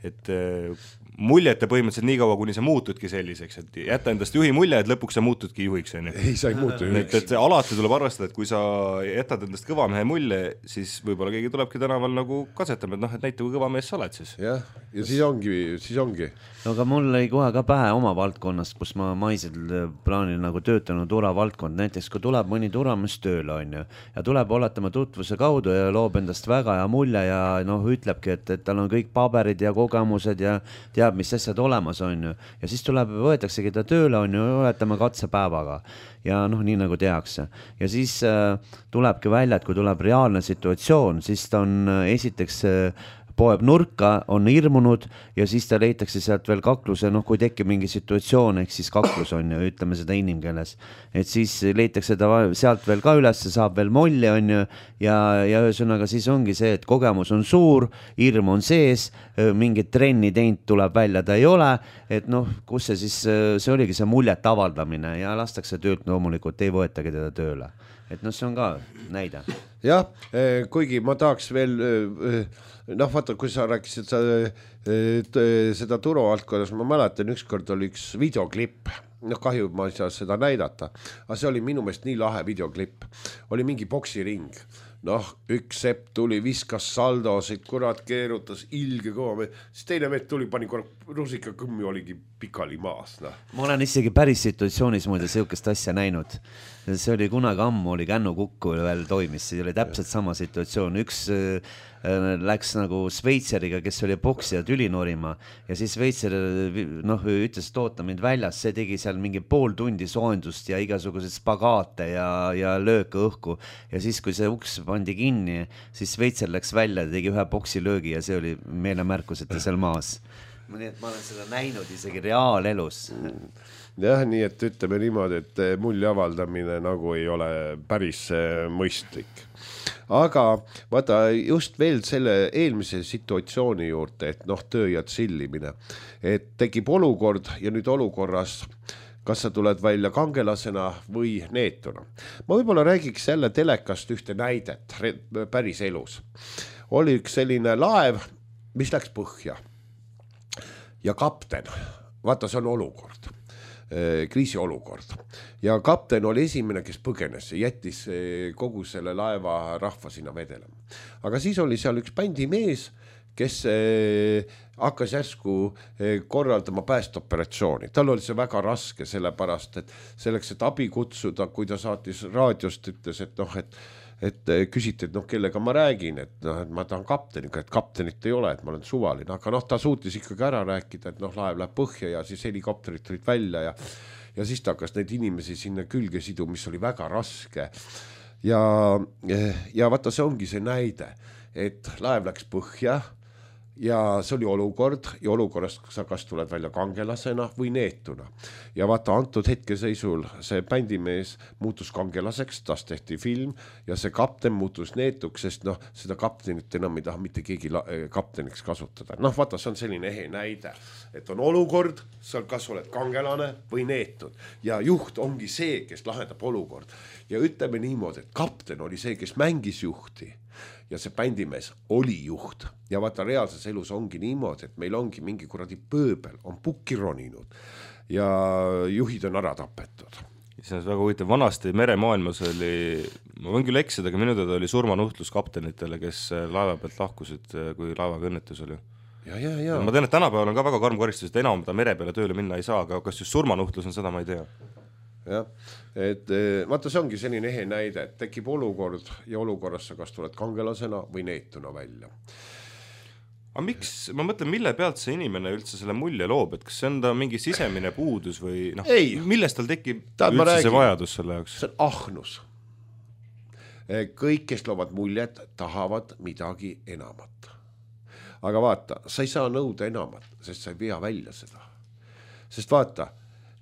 et äh, muljete põhimõtteliselt nii kaua, kuni sa muutudki selliseks, et jätta endast juhi mulje, et lõpuks sa muutudki juhiks. Ei, sa ei muutu juhiks. Et, et alati tuleb arvestada, et kui sa jätad endast kõva mehe mulje, siis võib-olla keegi tulebki tänaval nagu katsetama, et noh, et näita, kui kõva mees sa oled siis. Jah, ja siis ongi, siis ongi. No aga mul ei kohe ka pähe oma valdkonnast, kus ma maisel plaanil nagu töötanud tura valdkond, näiteks kui tuleb mõni turamees tööle on ju, ja tuleb oletama tutvuse kaudu ja loob endast väga ja mulje ja noh, ütlebki, et, et tal on kõik paberid ja kogemused ja teab, mis asjad olemas on ju. Ja siis tuleb, võetaksegi ta tööle on ju, oletama katsepäevaga ja noh, nii nagu tehakse. Ja siis äh, tulebki välja, et kui tuleb reaalne situatsioon, siis ta on äh, esiteks äh, poeb nurka, on hirmunud ja siis ta leitakse sealt veel kakluse, noh kui tekib mingi situatsioon, ehk siis kaklus on ju, ütleme seda inimkeeles, et siis leitakse ta sealt veel ka üles, saab veel molli on ju ja, ja ühesõnaga siis ongi see, et kogemus on suur, hirm on sees, mingit trenni teint tuleb välja, ta ei ole, et noh, kus see siis, see oligi see muljet avaldamine ja lastakse töölt loomulikult, ei võetagi teda tööle, et noh, see on ka näide. Jah, kuigi ma tahaks veel noh, vaata, kui sa rääkisid sa, seda turualtkonnas, ma mäletan, ükskord oli üks videoklipp, noh kahju, ma ei saa seda näidata, aga see oli minu meelest nii lahe videoklipp, oli mingi boksiring, noh, üks sepp tuli, viskas saldosid, kurat keerutas, ilge kõva, siis teine meet tuli, pani rusika kõmmi, oligi pikali maas. No. Ma olen isegi päris situatsioonis muide siukest asja näinud. See oli kunagi ammu, oli Kännu Kukku veel toimis, see oli täpselt sama situatsioon. Üks äh, läks nagu Sveitseriga, kes oli boksija tüli norima ja siis Sveitser noh, ütles, et oota mind väljas, see tegi seal mingi pool tundi soojendust ja igasuguseid spagaate ja, ja lööke õhku ja siis, kui see uks pandi kinni, siis Sveitser läks välja ja tegi ühe boksilöögi ja see oli meelemärkus, et ta seal maas. Nii et ma olen seda näinud isegi reaalelus. Jah, nii et ütleme niimoodi, et mulje avaldamine nagu ei ole päris mõistlik. Aga vaata just veel selle eelmise situatsiooni juurde, et noh, töö ja tsillimine, et tekib olukord ja nüüd olukorras kas sa tuled välja kangelasena või neetuna. Ma võib-olla räägiks jälle telekast ühte näidet päris elus. Oli üks selline laev, mis läks põhja. Ja kapten, vaata see on olukord, kriisiolukord. Ja kapten oli esimene, kes põgenes ja jättis kogu selle laeva rahva sinna vedelema. Aga siis oli seal üks bändimees, kes hakkas järsku korraldama päästeoperatsiooni. Tal oli see väga raske sellepärast, et selleks, et abi kutsuda, kui ta saatis raadiost, ütles, et noh, et et küsiti, et noh, kellega ma räägin, et noh, et ma tahan kapteniga, et kaptenit ei ole, et ma olen suvaline, aga noh, ta suutis ikkagi ära rääkida, et noh, laev läheb põhja ja siis helikopterid tulid välja ja, ja siis ta hakkas neid inimesi sinna külge sidu, mis oli väga raske. Ja, ja vaata, see ongi see näide, et laev läks põhja ja see oli olukord ja olukorrast sa kas tuled välja kangelasena või neetuna. Ja vaata, antud hetkeseisul see bändimees muutus kangelaseks, tast tehti film ja see kapten muutus neetuks, sest noh, seda kaptenit enam ei taha mitte keegi kapteniks kasutada. Noh, vaata, see on selline ehe näide, et on olukord, sa kas oled kangelane või neetud ja juht ongi see, kes lahendab olukord. Ja ütleme niimoodi, et kapten oli see, kes mängis juhti. Ja see bändimees oli juht ja vaata, reaalses elus ongi niimoodi, et meil ongi mingi kuradi pööbel, on pukki roninud ja juhid on ära tapetud. See on väga huvitav, vanasti meremaailmas oli, ma võin küll eksida, aga minu teada oli surmanuhtlus kaptenitele, kes laeva pealt lahkusid, kui laevaga õnnetus oli. Ja, ja, ja. Ma tean, et tänapäeval on ka väga karm karistus, et enam ta mere peale tööle minna ei saa, aga kas just surmanuhtlus on, seda ma ei tea. jah, et vaata, see ongi selline ehe näide, et tekib olukord ja olukorras sa kas tuled kangelasena või neetuna välja. Aga miks, ma mõtlen, mille pealt see inimene üldse selle mulje loob, et kas see on ta mingi sisemine puudus või noh, millest tal tekib Taad üldse räägin, see vajadus selle jaoks? See on ahnus. Kõik, kes loovad muljet, tahavad midagi enamat. Aga vaata, sa ei saa nõuda enamat, sest sa ei vea välja seda. Sest vaata,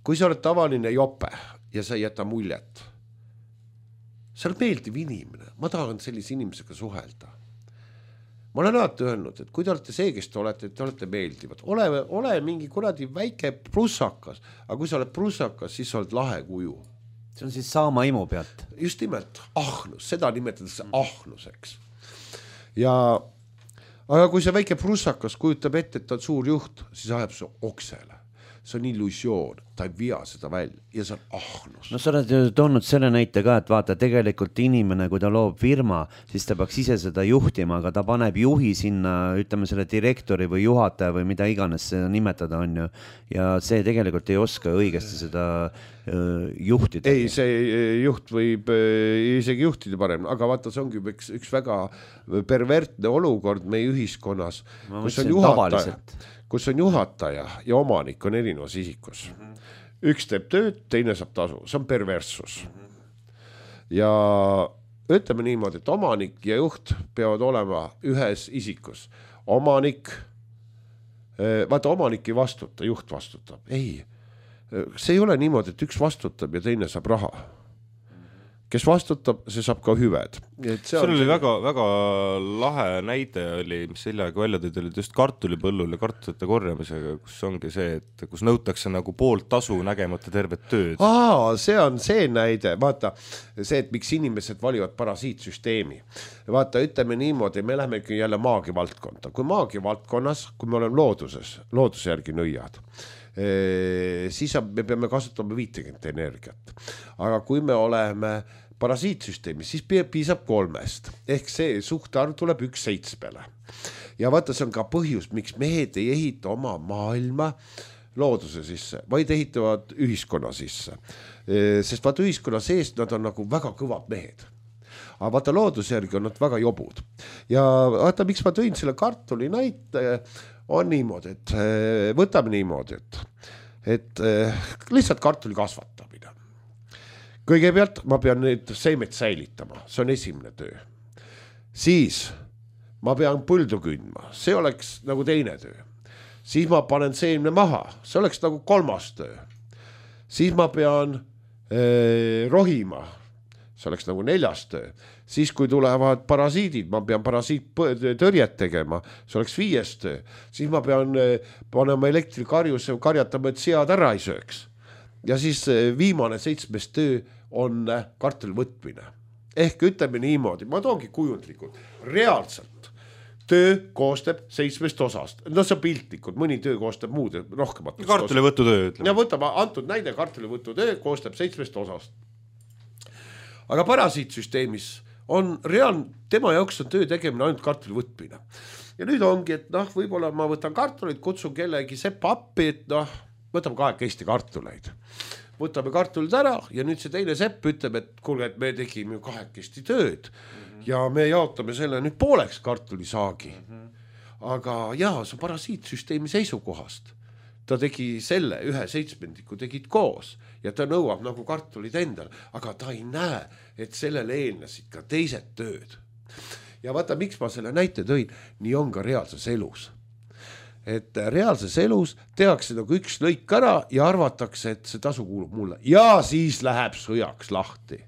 kui sa oled tavaline jope ja sa ei jäta muljet, sa oled meeldiv inimene, ma tahan sellise inimesega suhelda. Ma olen alati öelnud, et kui te olete see, kes te olete, te olete meeldivad, ole, ole mingi kuradi väike prussakas, aga kui sa oled prussakas, siis sa oled lahe kuju. See on siis saama imu pealt. Just nimelt, ahnus, seda nimetatakse ahnuseks. Ja, aga kui see väike prussakas kujutab ette, et ta on suur juht, siis ajab see oksele. See on illusioon, ta ei via seda välja ja see on ahnus. No sa oled ju toonud selle näite ka, et vaata, tegelikult inimene, kui ta loob firma, siis ta peaks ise seda juhtima, aga ta paneb juhi sinna, ütleme selle direktori või juhataja või mida iganes seda nimetada on ju. Ja see tegelikult ei oska õigesti seda uh, juhtida. Ei, see juht võib uh, isegi juhtida parem, aga vaata, see ongi üks, üks väga pervertne olukord meie ühiskonnas, ma kus on juhataja. kus on juhataja ja omanik on erinevas isikus. Üks teeb tööd, teine saab tasu. See on perverssus. Ja ütleme niimoodi, et omanik ja juht peavad olema ühes isikus. Omanik, vaata, omanik ei vastuta, juht vastutab. Ei, see ei ole niimoodi, et üks vastutab ja teine saab raha. Kes vastutab, see saab ka hüved. See oli väga, väga lahe näide oli, mis sellega välja tõid, oli just kartulipõllul ja kartulite korjamisega, kus ongi see, et kus nõutakse nagu poolt tasu nägemata tervet tööd. Aa, see on see näide, vaata see, et miks inimesed valivad parasiitsüsteemi. Vaata, ütleme niimoodi, me lähemegi jälle maagi valdkonda. Kui maagi valdkonnas, kui me oleme looduses, looduse järgi nõiad, siis me peame kasutama viitekümmet energiat. Aga kui me oleme parasiitsüsteemis, siis piisab kolmest. Ehk see suhtarv tuleb üks seitsmele. Ja vaata, see on ka põhjus, miks mehed ei ehita oma maailma looduse sisse, vaid ehitavad ühiskonna sisse. Sest vaata, ühiskonna sees nad on nagu väga kõvad mehed. Aga vaata, looduse järgi on nad väga jobud. Ja vaata, miks ma tõin selle kartuli näite, on niimoodi, et võtame niimoodi, et, et lihtsalt kartuli kasvatamine. Kõigepealt ma pean neid seemet säilitama, see on esimene töö. Siis ma pean põldu kündma, see oleks nagu teine töö. Siis ma panen seemne maha, see oleks nagu kolmas töö. Siis ma pean eh, rohima, see oleks nagu neljas töö. Siis kui tulevad parasiidid, ma pean parasiit tõrjet tegema, see oleks viies töö. Siis ma pean panema elektrikarjuse karjatama, et sead ära ei sööks. Ja siis viimane seitsmes töö on kartuli võtmine. Ehk ütleme niimoodi, ma toongi kujundlikult, reaalselt töö koostab seitsmest osast. No see on piltlikud, mõni töö koostab muud rohkemat. Kartuli võttu töö. Ja võtame antud näide, kartuli võttu töö koostab seitsmest osast. Aga parasiitsüsteemis on reaalne, tema jaoks on töö tegemine ainult kartuli võtmine. Ja nüüd ongi, et noh, võib-olla ma võtan kartulit, kutsun kellegi sepa appi, et noh, võtame kahekesti kartuleid. võtame kartulid ära ja nüüd see teine sepp ütleb, et kuule, et me tegime ju kahekesti tööd mm-hmm. ja me jaotame selle nüüd pooleks kartulisaagi mm-hmm. aga jaa, see parasiitsüsteemi seisukohast ta tegi selle ühe seitsmendiku tegid koos ja ta nõuab nagu kartulid endale, aga ta ei näe, et sellele eelnesid ka teised tööd ja vaata, miks ma selle näite tõin, nii on ka reaalses elus. Et reaalses elus tehakse nagu üks lõik ära ja arvatakse, et see tasu kuulub mulle ja siis läheb sõjaks lahti.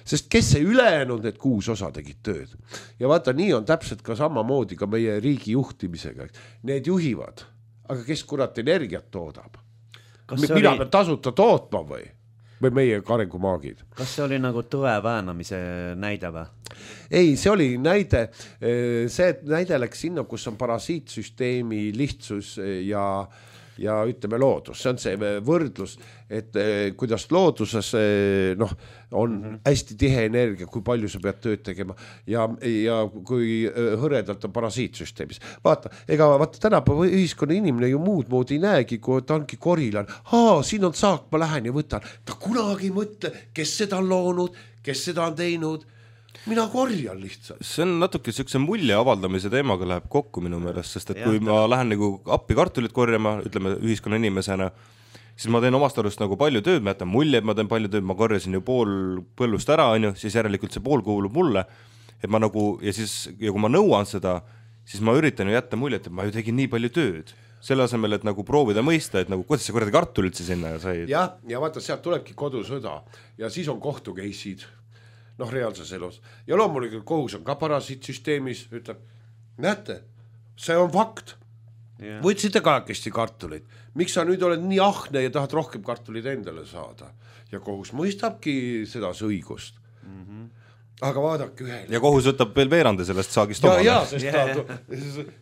Sest kes see ülejäänud need kuus osa tegid tööd. Ja vaata, nii on täpselt ka samamoodi ka meie riigi juhtimisega. Need juhivad, aga kes kurat energiat toodab? Mina oli... pean tasuta tootma või? Või meie arengumaagid. Kas see oli nagu tõe väänamise näide või? Ei, see oli näide, see näide läks sinna, kus on parasiitsüsteemi lihtsus ja, ja ütleme loodus. See on see võrdlus, et kuidas looduses noh, on mm-hmm. hästi tihe energia, kui palju sa pead tööd tegema ja, ja kui hõredalt on parasiitsüsteemis. Vaata, ega vaata tänapäeva ühiskonna inimene ju muud moodi ei näegi, kui ta ongi korilan. Haa, siin on saak, ma lähen ja võtan. Ta kunagi mõtle, kes seda on loonud, kes seda on teinud. Mina korjan lihtsalt. See on natuke siukse mulje avaldamise teemaga läheb kokku minu meelest, sest et ja, kui ma lähen nagu appi kartulit korjama, ütleme ühiskonna inimesena, siis ma teen omast arust nagu palju tööd, ma jätan mulje, et ma teen palju tööd, ma korjasin ju pool põllust ära, on ju, siis järelikult see pool kuulub mulle, et ma nagu, ja siis, ja kui ma nõuan seda, siis ma üritan ju jätta mulje, et ma ju tegin nii palju tööd. Selle asemel, et nagu proovida mõista, et nagu, kuidas see korrati kartul üldse sinna sai. Ja, ja vaata, sealt tulebki kodusõda ja siis on kohtukeisid. Noh, reaalses elus. Ja loomulikult kohus on ka parasiitsüsteemis, ütleb, näete, see on fakt. Yeah. Võtsite kahekesti kartulit. Miks sa nüüd oled nii ahne ja tahad rohkem kartulit endale saada? Ja kohus mõistabki seda õigust. Mm-hmm. Aga vaadake ühele. Ja kohus võtab veel veerande sellest saagist omale. Ja, ja, sest yeah. ta,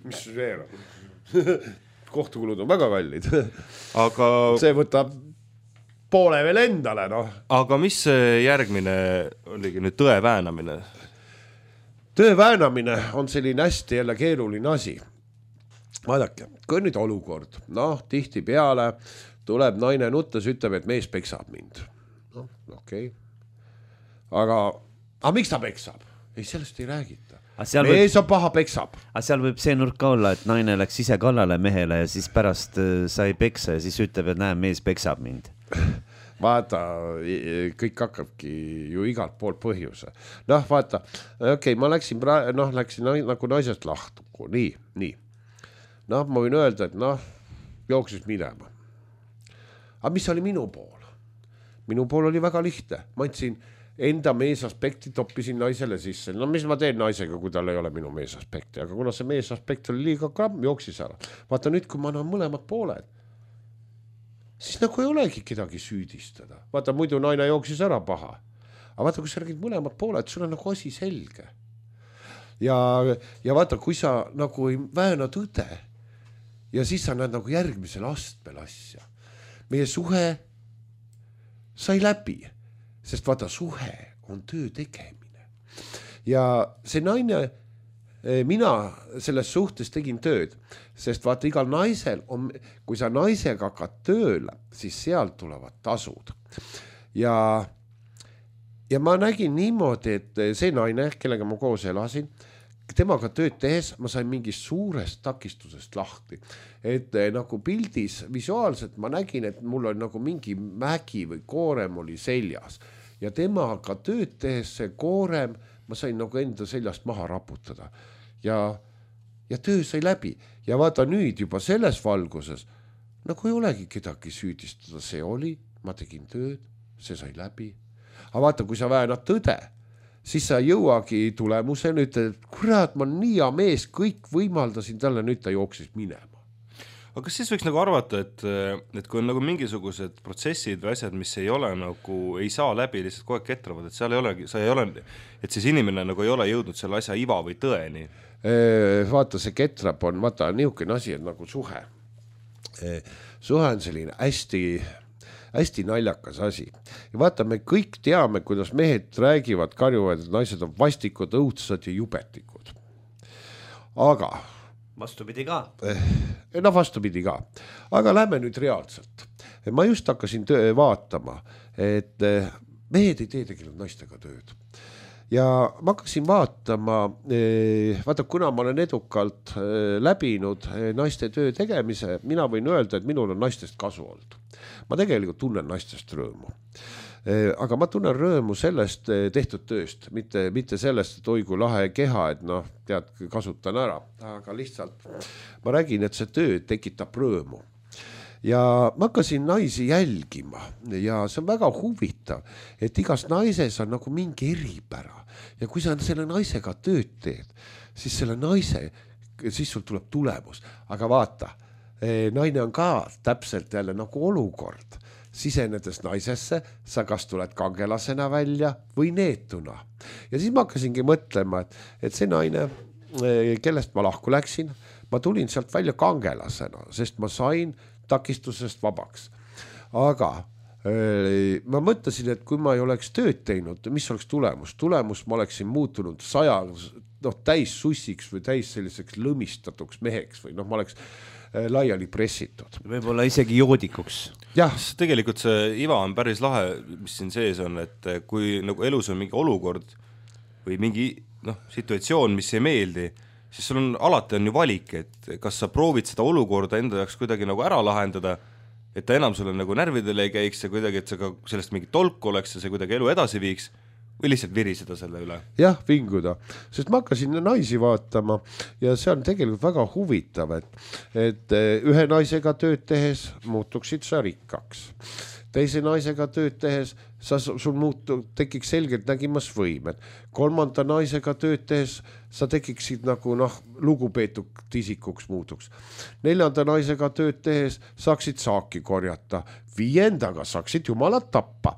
mis veerand? Kohtukulud on väga kallid. Aga see võtab poole veel endale, noh. Aga mis see järgmine oligi nüüd tõe väänamine? Tõe väänamine on selline hästi jälle keeruline asi. Vaadake, kui nüüd olukord, noh, tihti peale tuleb naine nuttes, ütleb, et mees peksab mind. Noh, okei. Okay. Aga, aga miks ta peksab? Ei, sellest ei räägita. Mees võib, on paha peksab. Aga seal võib see nurk olla, et naine läks ise kallale mehele ja siis pärast sai peksa ja siis ütleb, et näe, mees peksab mind. Vaata, kõik hakkabki ju igalt poolt põhjuse. Noh, vaata, okei, okay, ma läksin, pra- noh, läksin nagu naisest lahtu. Nii, nii. Noh, ma võin öelda, et noh, jooksis minema. Aga mis oli minu pool? Minu pool oli väga lihtne. Ma andsin enda meesaspekti, toppisin naisele sisse. No mis ma teen naisega, kui tal ei ole minu meesaspekti? Aga kuna see meesaspekt oli liiga gramm, jooksis ära. Vaata nüüd, kui ma annan mõlemad pooled, siis nagu ei olegi kedagi süüdistada. Vaata, muidu naine jooksis ära paha. Aga vaata, kui sa räägid mõlemad pooled, sul on nagu asi selge. Ja, ja vaata, kui sa nagu ei vääna tõde ja siis sa näed nagu järgmisel astmel asja. Meie suhe sai läbi, sest vaata, suhe on töö tegemine. Ja see naine, mina selles suhtes tegin tööd, sest vaata, igal naisel on, kui sa naisega hakkad tööle, siis sealt tulevad tasud. Ja, ja ma nägin niimoodi, et see naine, kellega ma koos elasin, temaga tööd tehes ma sain mingist suurest takistusest lahti. Et nagu pildis visuaalselt ma nägin, et mul oli nagu mingi mägi või koorem oli seljas. Ja temaga tööd tehes see koorem, ma sain nagu enda seljast maha raputada. Ja, ja töö sai läbi. Ja vaata nüüd juba selles valguses, nagu ei olegi kedagi süüdistada. See oli, ma tegin tööd, see sai läbi. Aga vaata, kui sa väänad tõde, siis sa jõuagi tulemuse nüüd, et kurat, ma nii hea mees, kõik võimaldasin talle, nüüd ta jooksis minema. Aga kas siis võiks nagu arvata, et, et kui on nagu mingisugused protsessid või asjad, mis ei ole nagu, ei saa läbi, lihtsalt kogu aeg ketravad, et seal ei olegi, sa ei ole, et siis inimene nagu ei ole jõudnud selle asja iva või tõeni? Vaata, see ketrab on, vaata, niisugune asi on nagu suhe. Suhe on selline hästi, hästi naljakas asi. Ja vaata, me kõik teame, kuidas mehed räägivad, karjuvad, et naised on vastikud, õudsad ja jubetikud. Aga vastupidi ka. No vastupidi ka. Aga lähme nüüd reaalselt. ma just hakkasin töö vaatama, et mehed ei tee tegelikult naistega tööd. Ja ma hakkasin vaatama, vaata kuna ma olen edukalt läbinud naiste töö tegemise, mina võin öelda, et minul on naistest kasu olnud. Ma tegelikult tunnen naistest rõõmu. Aga ma tunnen rõõmu sellest tehtud tööst, mitte, mitte sellest, et oi kui lahe keha, et noh, tead, kasutan ära, aga lihtsalt ma räägin, et see töö tekitab rõõmu. Ja ma hakkasin naisi jälgima ja see on väga huvitav, et igas naises on nagu mingi eripära ja kui sa selle naisega tööd teed, siis selle naise, siis sul tuleb tulemus, aga vaata, naine on ka täpselt jälle nagu olukord. Sisenedes naisesse, sa kas tuled kangelasena välja või neetuna. Ja siis ma hakkasingi mõtlema, et, et see naine, kellest ma lahku läksin, ma tulin sealt välja kangelasena, sest ma sain takistusest vabaks. Aga äh, ma mõtlesin, et kui ma ei oleks tööd teinud, mis oleks tulemus? Tulemus ma oleksin muutunud saja, noh, täis sussiks või täis selliseks lõmistatuks meheks või noh, ma oleks äh, laiali pressitud. Võib-olla isegi joodikuks. Jah. Tegelikult see iva on päris lahe, mis siin sees on, et kui nagu elus on mingi olukord või mingi noh, situatsioon, mis ei meeldi, siis sul on alati on ju valik, et kas sa proovid seda olukorda enda jaoks kuidagi nagu ära lahendada, et ta enam sulle nagu närvidele ei käiks ja kuidagi, et see ka sellest mingi tolk oleks ja see kuidagi elu edasi viiks või lihtsalt viriseda selle üle. Jah, vinguda, sest ma hakkasin naisi vaatama ja see on tegelikult väga huvitav, et, et ühe naisega tööd tehes muutuksid sa rikkaks. Teise naisega tööd tehes sa, sul muutu, tekiks selgelt nägimas võimed. Kolmanda naisega tööd tehes sa tekiksid nagu noh, lugupeetud isikuks muutuks. Neljanda naisega tööd tehes saaksid saaki korjata. Viiendaga saaksid jumalat tappa.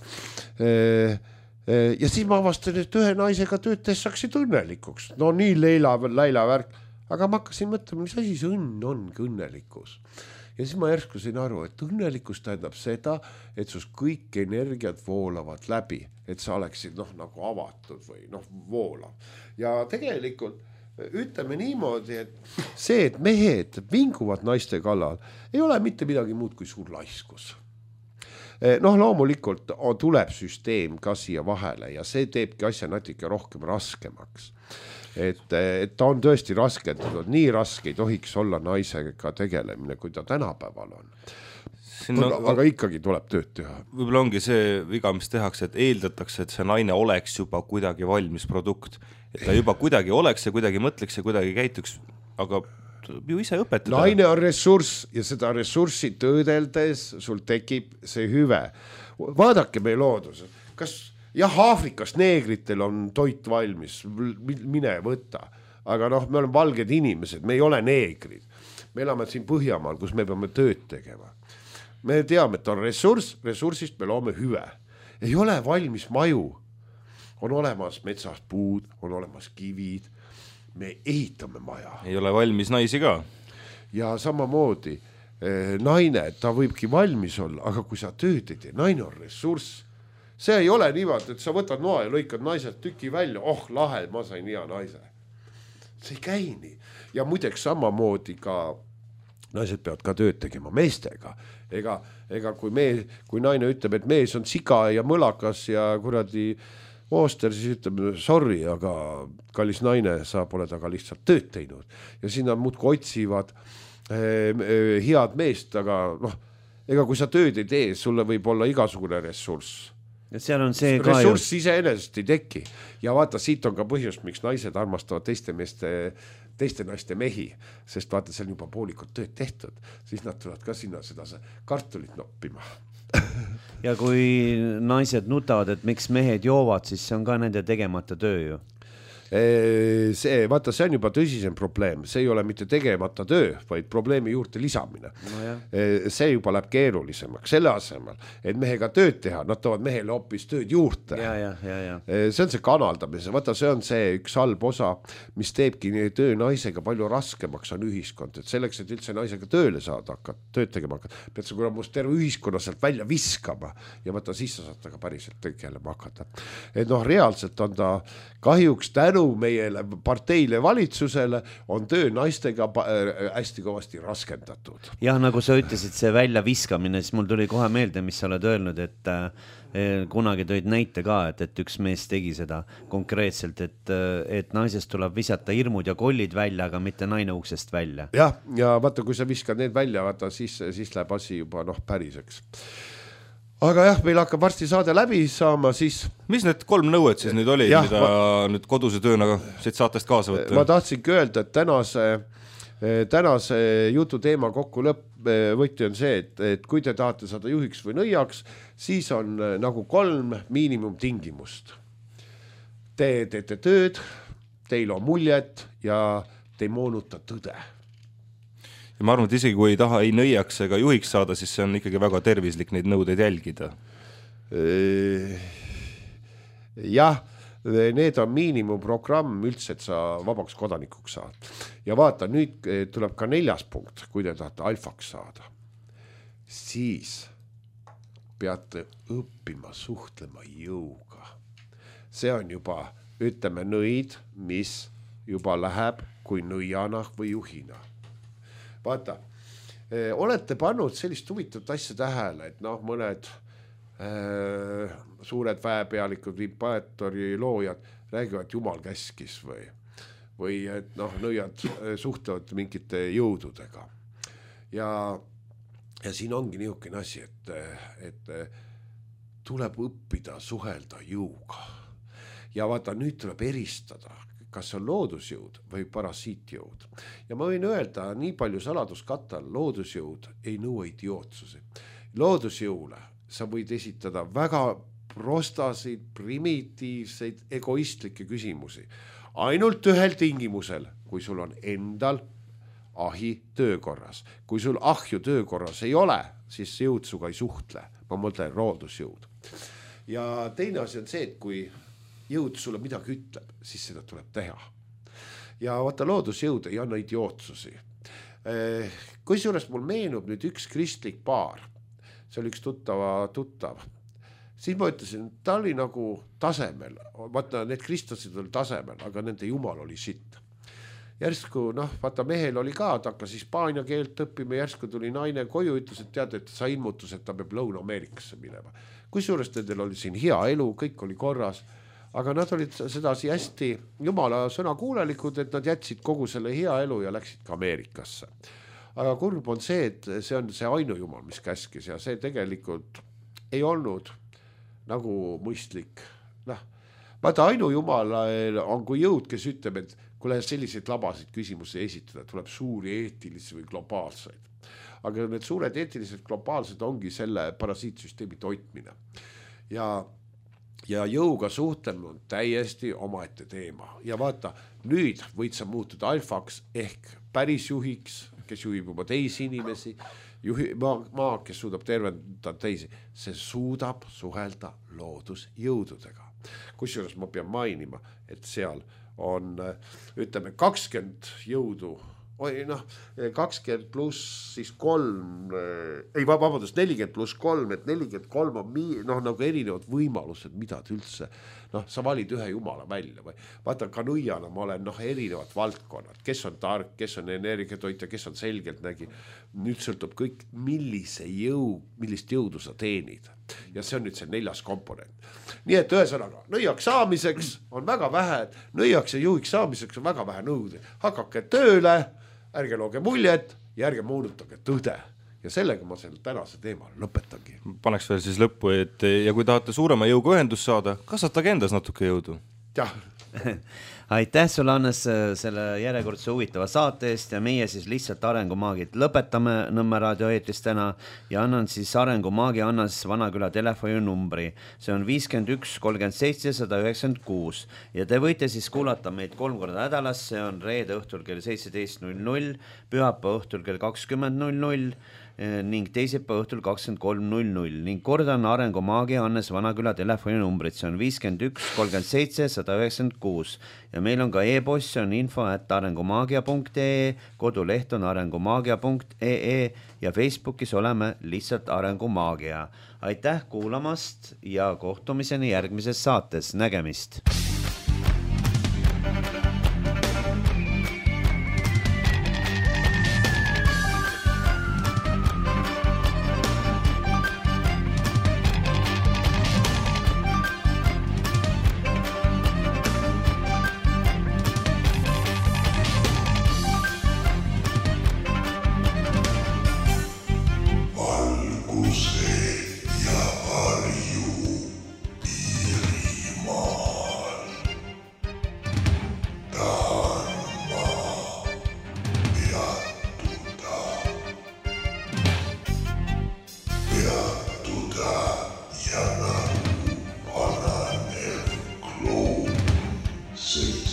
Ja siis ma avastan, et ühe naisega tööd tehes saaksid õnnelikuks. No nii leila, läila värk. Aga ma hakkasin mõtlema, mis asi see õnn ongi õnnelikkus. Ja siis ma järsku sain aru, et õnnelikus tähendab seda, et sus kõik energiat voolavad läbi, et sa oleksid noh, nagu avatud või noh, voolav. Ja tegelikult ütleme niimoodi, et see, et mehed vinguvad naiste kallal, ei ole mitte midagi muud kui suur laiskus. Noh, loomulikult tuleb süsteem ka siia vahele ja see teebki asja natuke rohkem raskemaks. Et, et ta on tõesti raske, et nii raske ei tohiks olla naisega tegelemine, kui ta tänapäeval on. Sinna, aga, aga ikkagi tuleb tööd teha. Võib-olla ongi see viga, mis tehakse, et eeldatakse, et see naine oleks juba kuidagi valmis produkt. Et ta juba kuidagi oleks ja kuidagi mõtleks ja kuidagi käituks, aga ju ise õpetada. Naine on ressurss ja seda ressurssi töödeldes sul tekib see hüve. Vaadake meie loodus. Kas jah, Aafrikas neegritel on toit valmis, mine võtta. Aga noh, me oleme valged inimesed, me ei ole neegrid. Me elame siin Põhjamaal, kus me peame tööd tegema. Me teame, et on ressurss, ressursist me loome hüve. Ei ole valmis maju. On olemas metsas puud, on olemas kivid. Me ehitame maja. Ei ole valmis naisi ka. Ja samamoodi, eh, naine, ta võibki valmis olla, aga kui sa tööd ei tee, naine on ressurss. See ei ole niimoodi, et sa võtad noa ja lõikad naised tüki välja, oh lahe, ma sain hea naise. See ei käi nii. Ja muideks samamoodi ka naised peavad ka tööd tegema meestega. Ega, ega kui, me, kui naine ütleb, et mees on siga ja mõlakas ja kuradi ooster, siis ütleb, sorry, aga kallis naine, sa pole taga lihtsalt tööd teinud. Ja sinna muudku otsivad eh, eh, head meest, aga noh, ega kui sa tööd ei tee, sulle võib olla igasugune ressurss. Ja seal on see ressurss ise enesest ei teki. Ja vaata, siit on ka põhjus, miks naised armastavad teiste meeste, teiste naiste mehi, sest vaata, see on juba poolikud tööd tehtud, siis nad tulevad ka sinna seda kartulit noppima. Ja kui naised nutavad, et miks mehed joovad, siis see on ka nende tegemata töö ju. See, vaata, see on juba tõsisem probleem, see ei ole mitte tegemata töö, vaid probleemi juurde lisamine. No see juba läheb keerulisemaks, selle asemel, et mehega tööd teha, nad toovad mehele hoopis tööd juurde. Ja, ja, ja, ja. See on see kanaldamise, vaata, see on see üks halb osa, mis teebki töö naisega palju raskemaks on ühiskond, et selleks, et üldse naisega tööle saada hakata, tööd tegema hakata, pead sa kurat must terve ühiskonna sealt välja viskama ja vaata, siis sa saad taga päriselt tegelema hakata. Et noh, reaalselt on ta kahjuks tänu nõu meile parteile valitsusele, on töö naistega hästi kõvasti raskendatud. Jah, nagu sa ütlesid, see välja viskamine, siis mul tuli kohe meelde, mis sa oled öelnud, et äh, kunagi tõid näite ka, et, et üks mees tegi seda konkreetselt, et, et naisest tuleb visata hirmud ja kollid välja, aga mitte naine uksest välja. Jah, ja vaata, kui sa viskad need välja, vaata, siis, siis läheb asi juba noh, päriseks. Aga jah, meil hakkab varsti saade läbi saama, siis... Mis need kolm nõuet siis nüüd oli, jah, mida ma... nüüd koduse tööna siit saatest kaasa võtta? Ma tahtsingi öelda, et tänase, tänase jutu teema kokku lõpp võtti on see, et, et kui te tahate saada juhiks või nõiaks, siis on nagu kolm miinimumtingimust. Te teete tööd, teil on muljet ja te ei moonuta tõde. Ja ma arvan, et isegi kui ei taha ei nõiaks ega juhiks saada, siis see on ikkagi väga tervislik neid nõudeid jälgida. Jah, need on miinimumprogramm üldse, et sa vabaks kodanikuks saad. Ja vaata, nüüd tuleb ka neljas punkt, kui te tahate alfaks saada. Siis peate õppima suhtlema jõuga. See on juba, ütleme, nõid, mis juba läheb kui nõiana või juhina. Vaata, olete pannud sellist huvitavat asja tähele, et noh, mõned äh, suured väepealikud, impaatori loojad räägivad Jumal käskis või, või et noh, nõiad suhtlevad mingite jõududega. Ja, ja siin ongi niisugune asi, et, et tuleb õppida suhelda jõuga. Ja vaata, nüüd tuleb eristada, kas on loodusjõud või parasiitjõud. Ja ma võin öelda, nii palju saladuskattal loodusjõud ei nõua idiootsusi. Loodusjõule sa võid esitada väga prostasid, primitiivseid, egoistlikke küsimusi. Ainult ühel tingimusel, kui sul on endal ahi töökorras. Kui sul ahju töökorras ei ole, siis jõud suga ei suhtle. Ma mõtlen loodusjõud. Ja teine asi on see, et kui jõud sulle midagi ütleb, siis seda tuleb teha. Ja vaata, loodusjõud ei anna idiootsusi. Kui suures mul meenub nüüd üks kristlik paar, see oli üks tuttava tuttav, siis ma ütlesin, ta oli nagu tasemel, vaata, need kristlasid oli tasemel, aga nende jumal oli sitt. Järsku, noh, vaata, mehel oli ka, ta hakkas hispaania keelt õppima, järsku tuli naine koju, ütles, et tead, et sa ilmutus, et ta peab Lõuna-Ameerikasse minema. Kui suures nendel oli siin hea elu, kõik oli korras, aga nad olid sedasi hästi jumala sõnakuulelikud, et nad jätsid kogu selle hea elu ja läksid ka Ameerikasse. Aga kurb on see, et see on see ainujumal, mis käskis ja see tegelikult ei olnud nagu mõistlik. Noh, vaata, ainujumal on kui jõud, kes ütleb, et kui selliseid labasid küsimusi esitada, tuleb suuri eetilisi või globaalseid. Aga need suured eetilised globaalsed ongi selle parasiitsüsteemi toitmine. Ja Ja jõuga suhtlema on täiesti omaette teema. Ja vaata, nüüd võid sa muutuda alfaks ehk päris juhiks, kes juhib juba teisi inimesi, juhi, maa, maa, kes suudab tervendada teisi. See suudab suhelda loodusjõududega. Kusjuures ma pean mainima, et seal on, ütleme, kakskümmend jõudu, Oi, noh, kakskümmend pluss siis kolm, ei vabandust, nelikümmend pluss kolm, et nelikümmend kolm on mii, noh, nagu erinevad võimalused, mida üldse, noh, sa valid ühe jumala välja või. Vaata, ka nõiana ma olen, noh, erinevad valdkonnad, kes on tark, kes on energiatoitja, kes on selgelt nägi. Nüüd sõltub kõik, millise jõu, millist jõudu sa teenid. Ja see on nüüd see neljas komponent. Nii et ühesõnaga, nõiaks saamiseks on väga vähe, nõiaks ja juhiks saamiseks on väga vähe nõude. Hakake tööle, ärge looge muljet ja ärge moonutage tõde. Ja sellega ma selle tänase teema lõpetangi. Paneks veel siis lõppu, et ja kui tahate suurema jõuga ühendust saada, kasvatage endas natuke jõudu. Jah. Aitäh sulle, Hannes, selle järjekordse huvitava saate eest ja meie siis lihtsalt Arengumaagid lõpetame Nõmme raadio eetris täna ja annan siis Arengumaagi Hannes Vanaküla telefoninumbri. See on viiskümmend üks kolmkümmend seitse sada üheksakümmend kuus ja te võite siis kuulata meid kolm korda nädalas, see on reede õhtul kell seitseteist null null, pühapäeva õhtul kell kakskümmend null null ning teisipäeva õhtul kakskümmend kolm null null ning kordan Arengumaagi Hannes Vanaküla telefoninumbrit, see on viiskümmend üks kolmkümmend seitse sada üheksakümmend kuus ja meil on ka e-post, see on info at arengumaagia punkt ee, koduleht on arengumaagia punkt ee ja Facebookis oleme lihtsalt Arengumaagia. Aitäh kuulamast ja kohtumiseni järgmises saates, nägemist! See.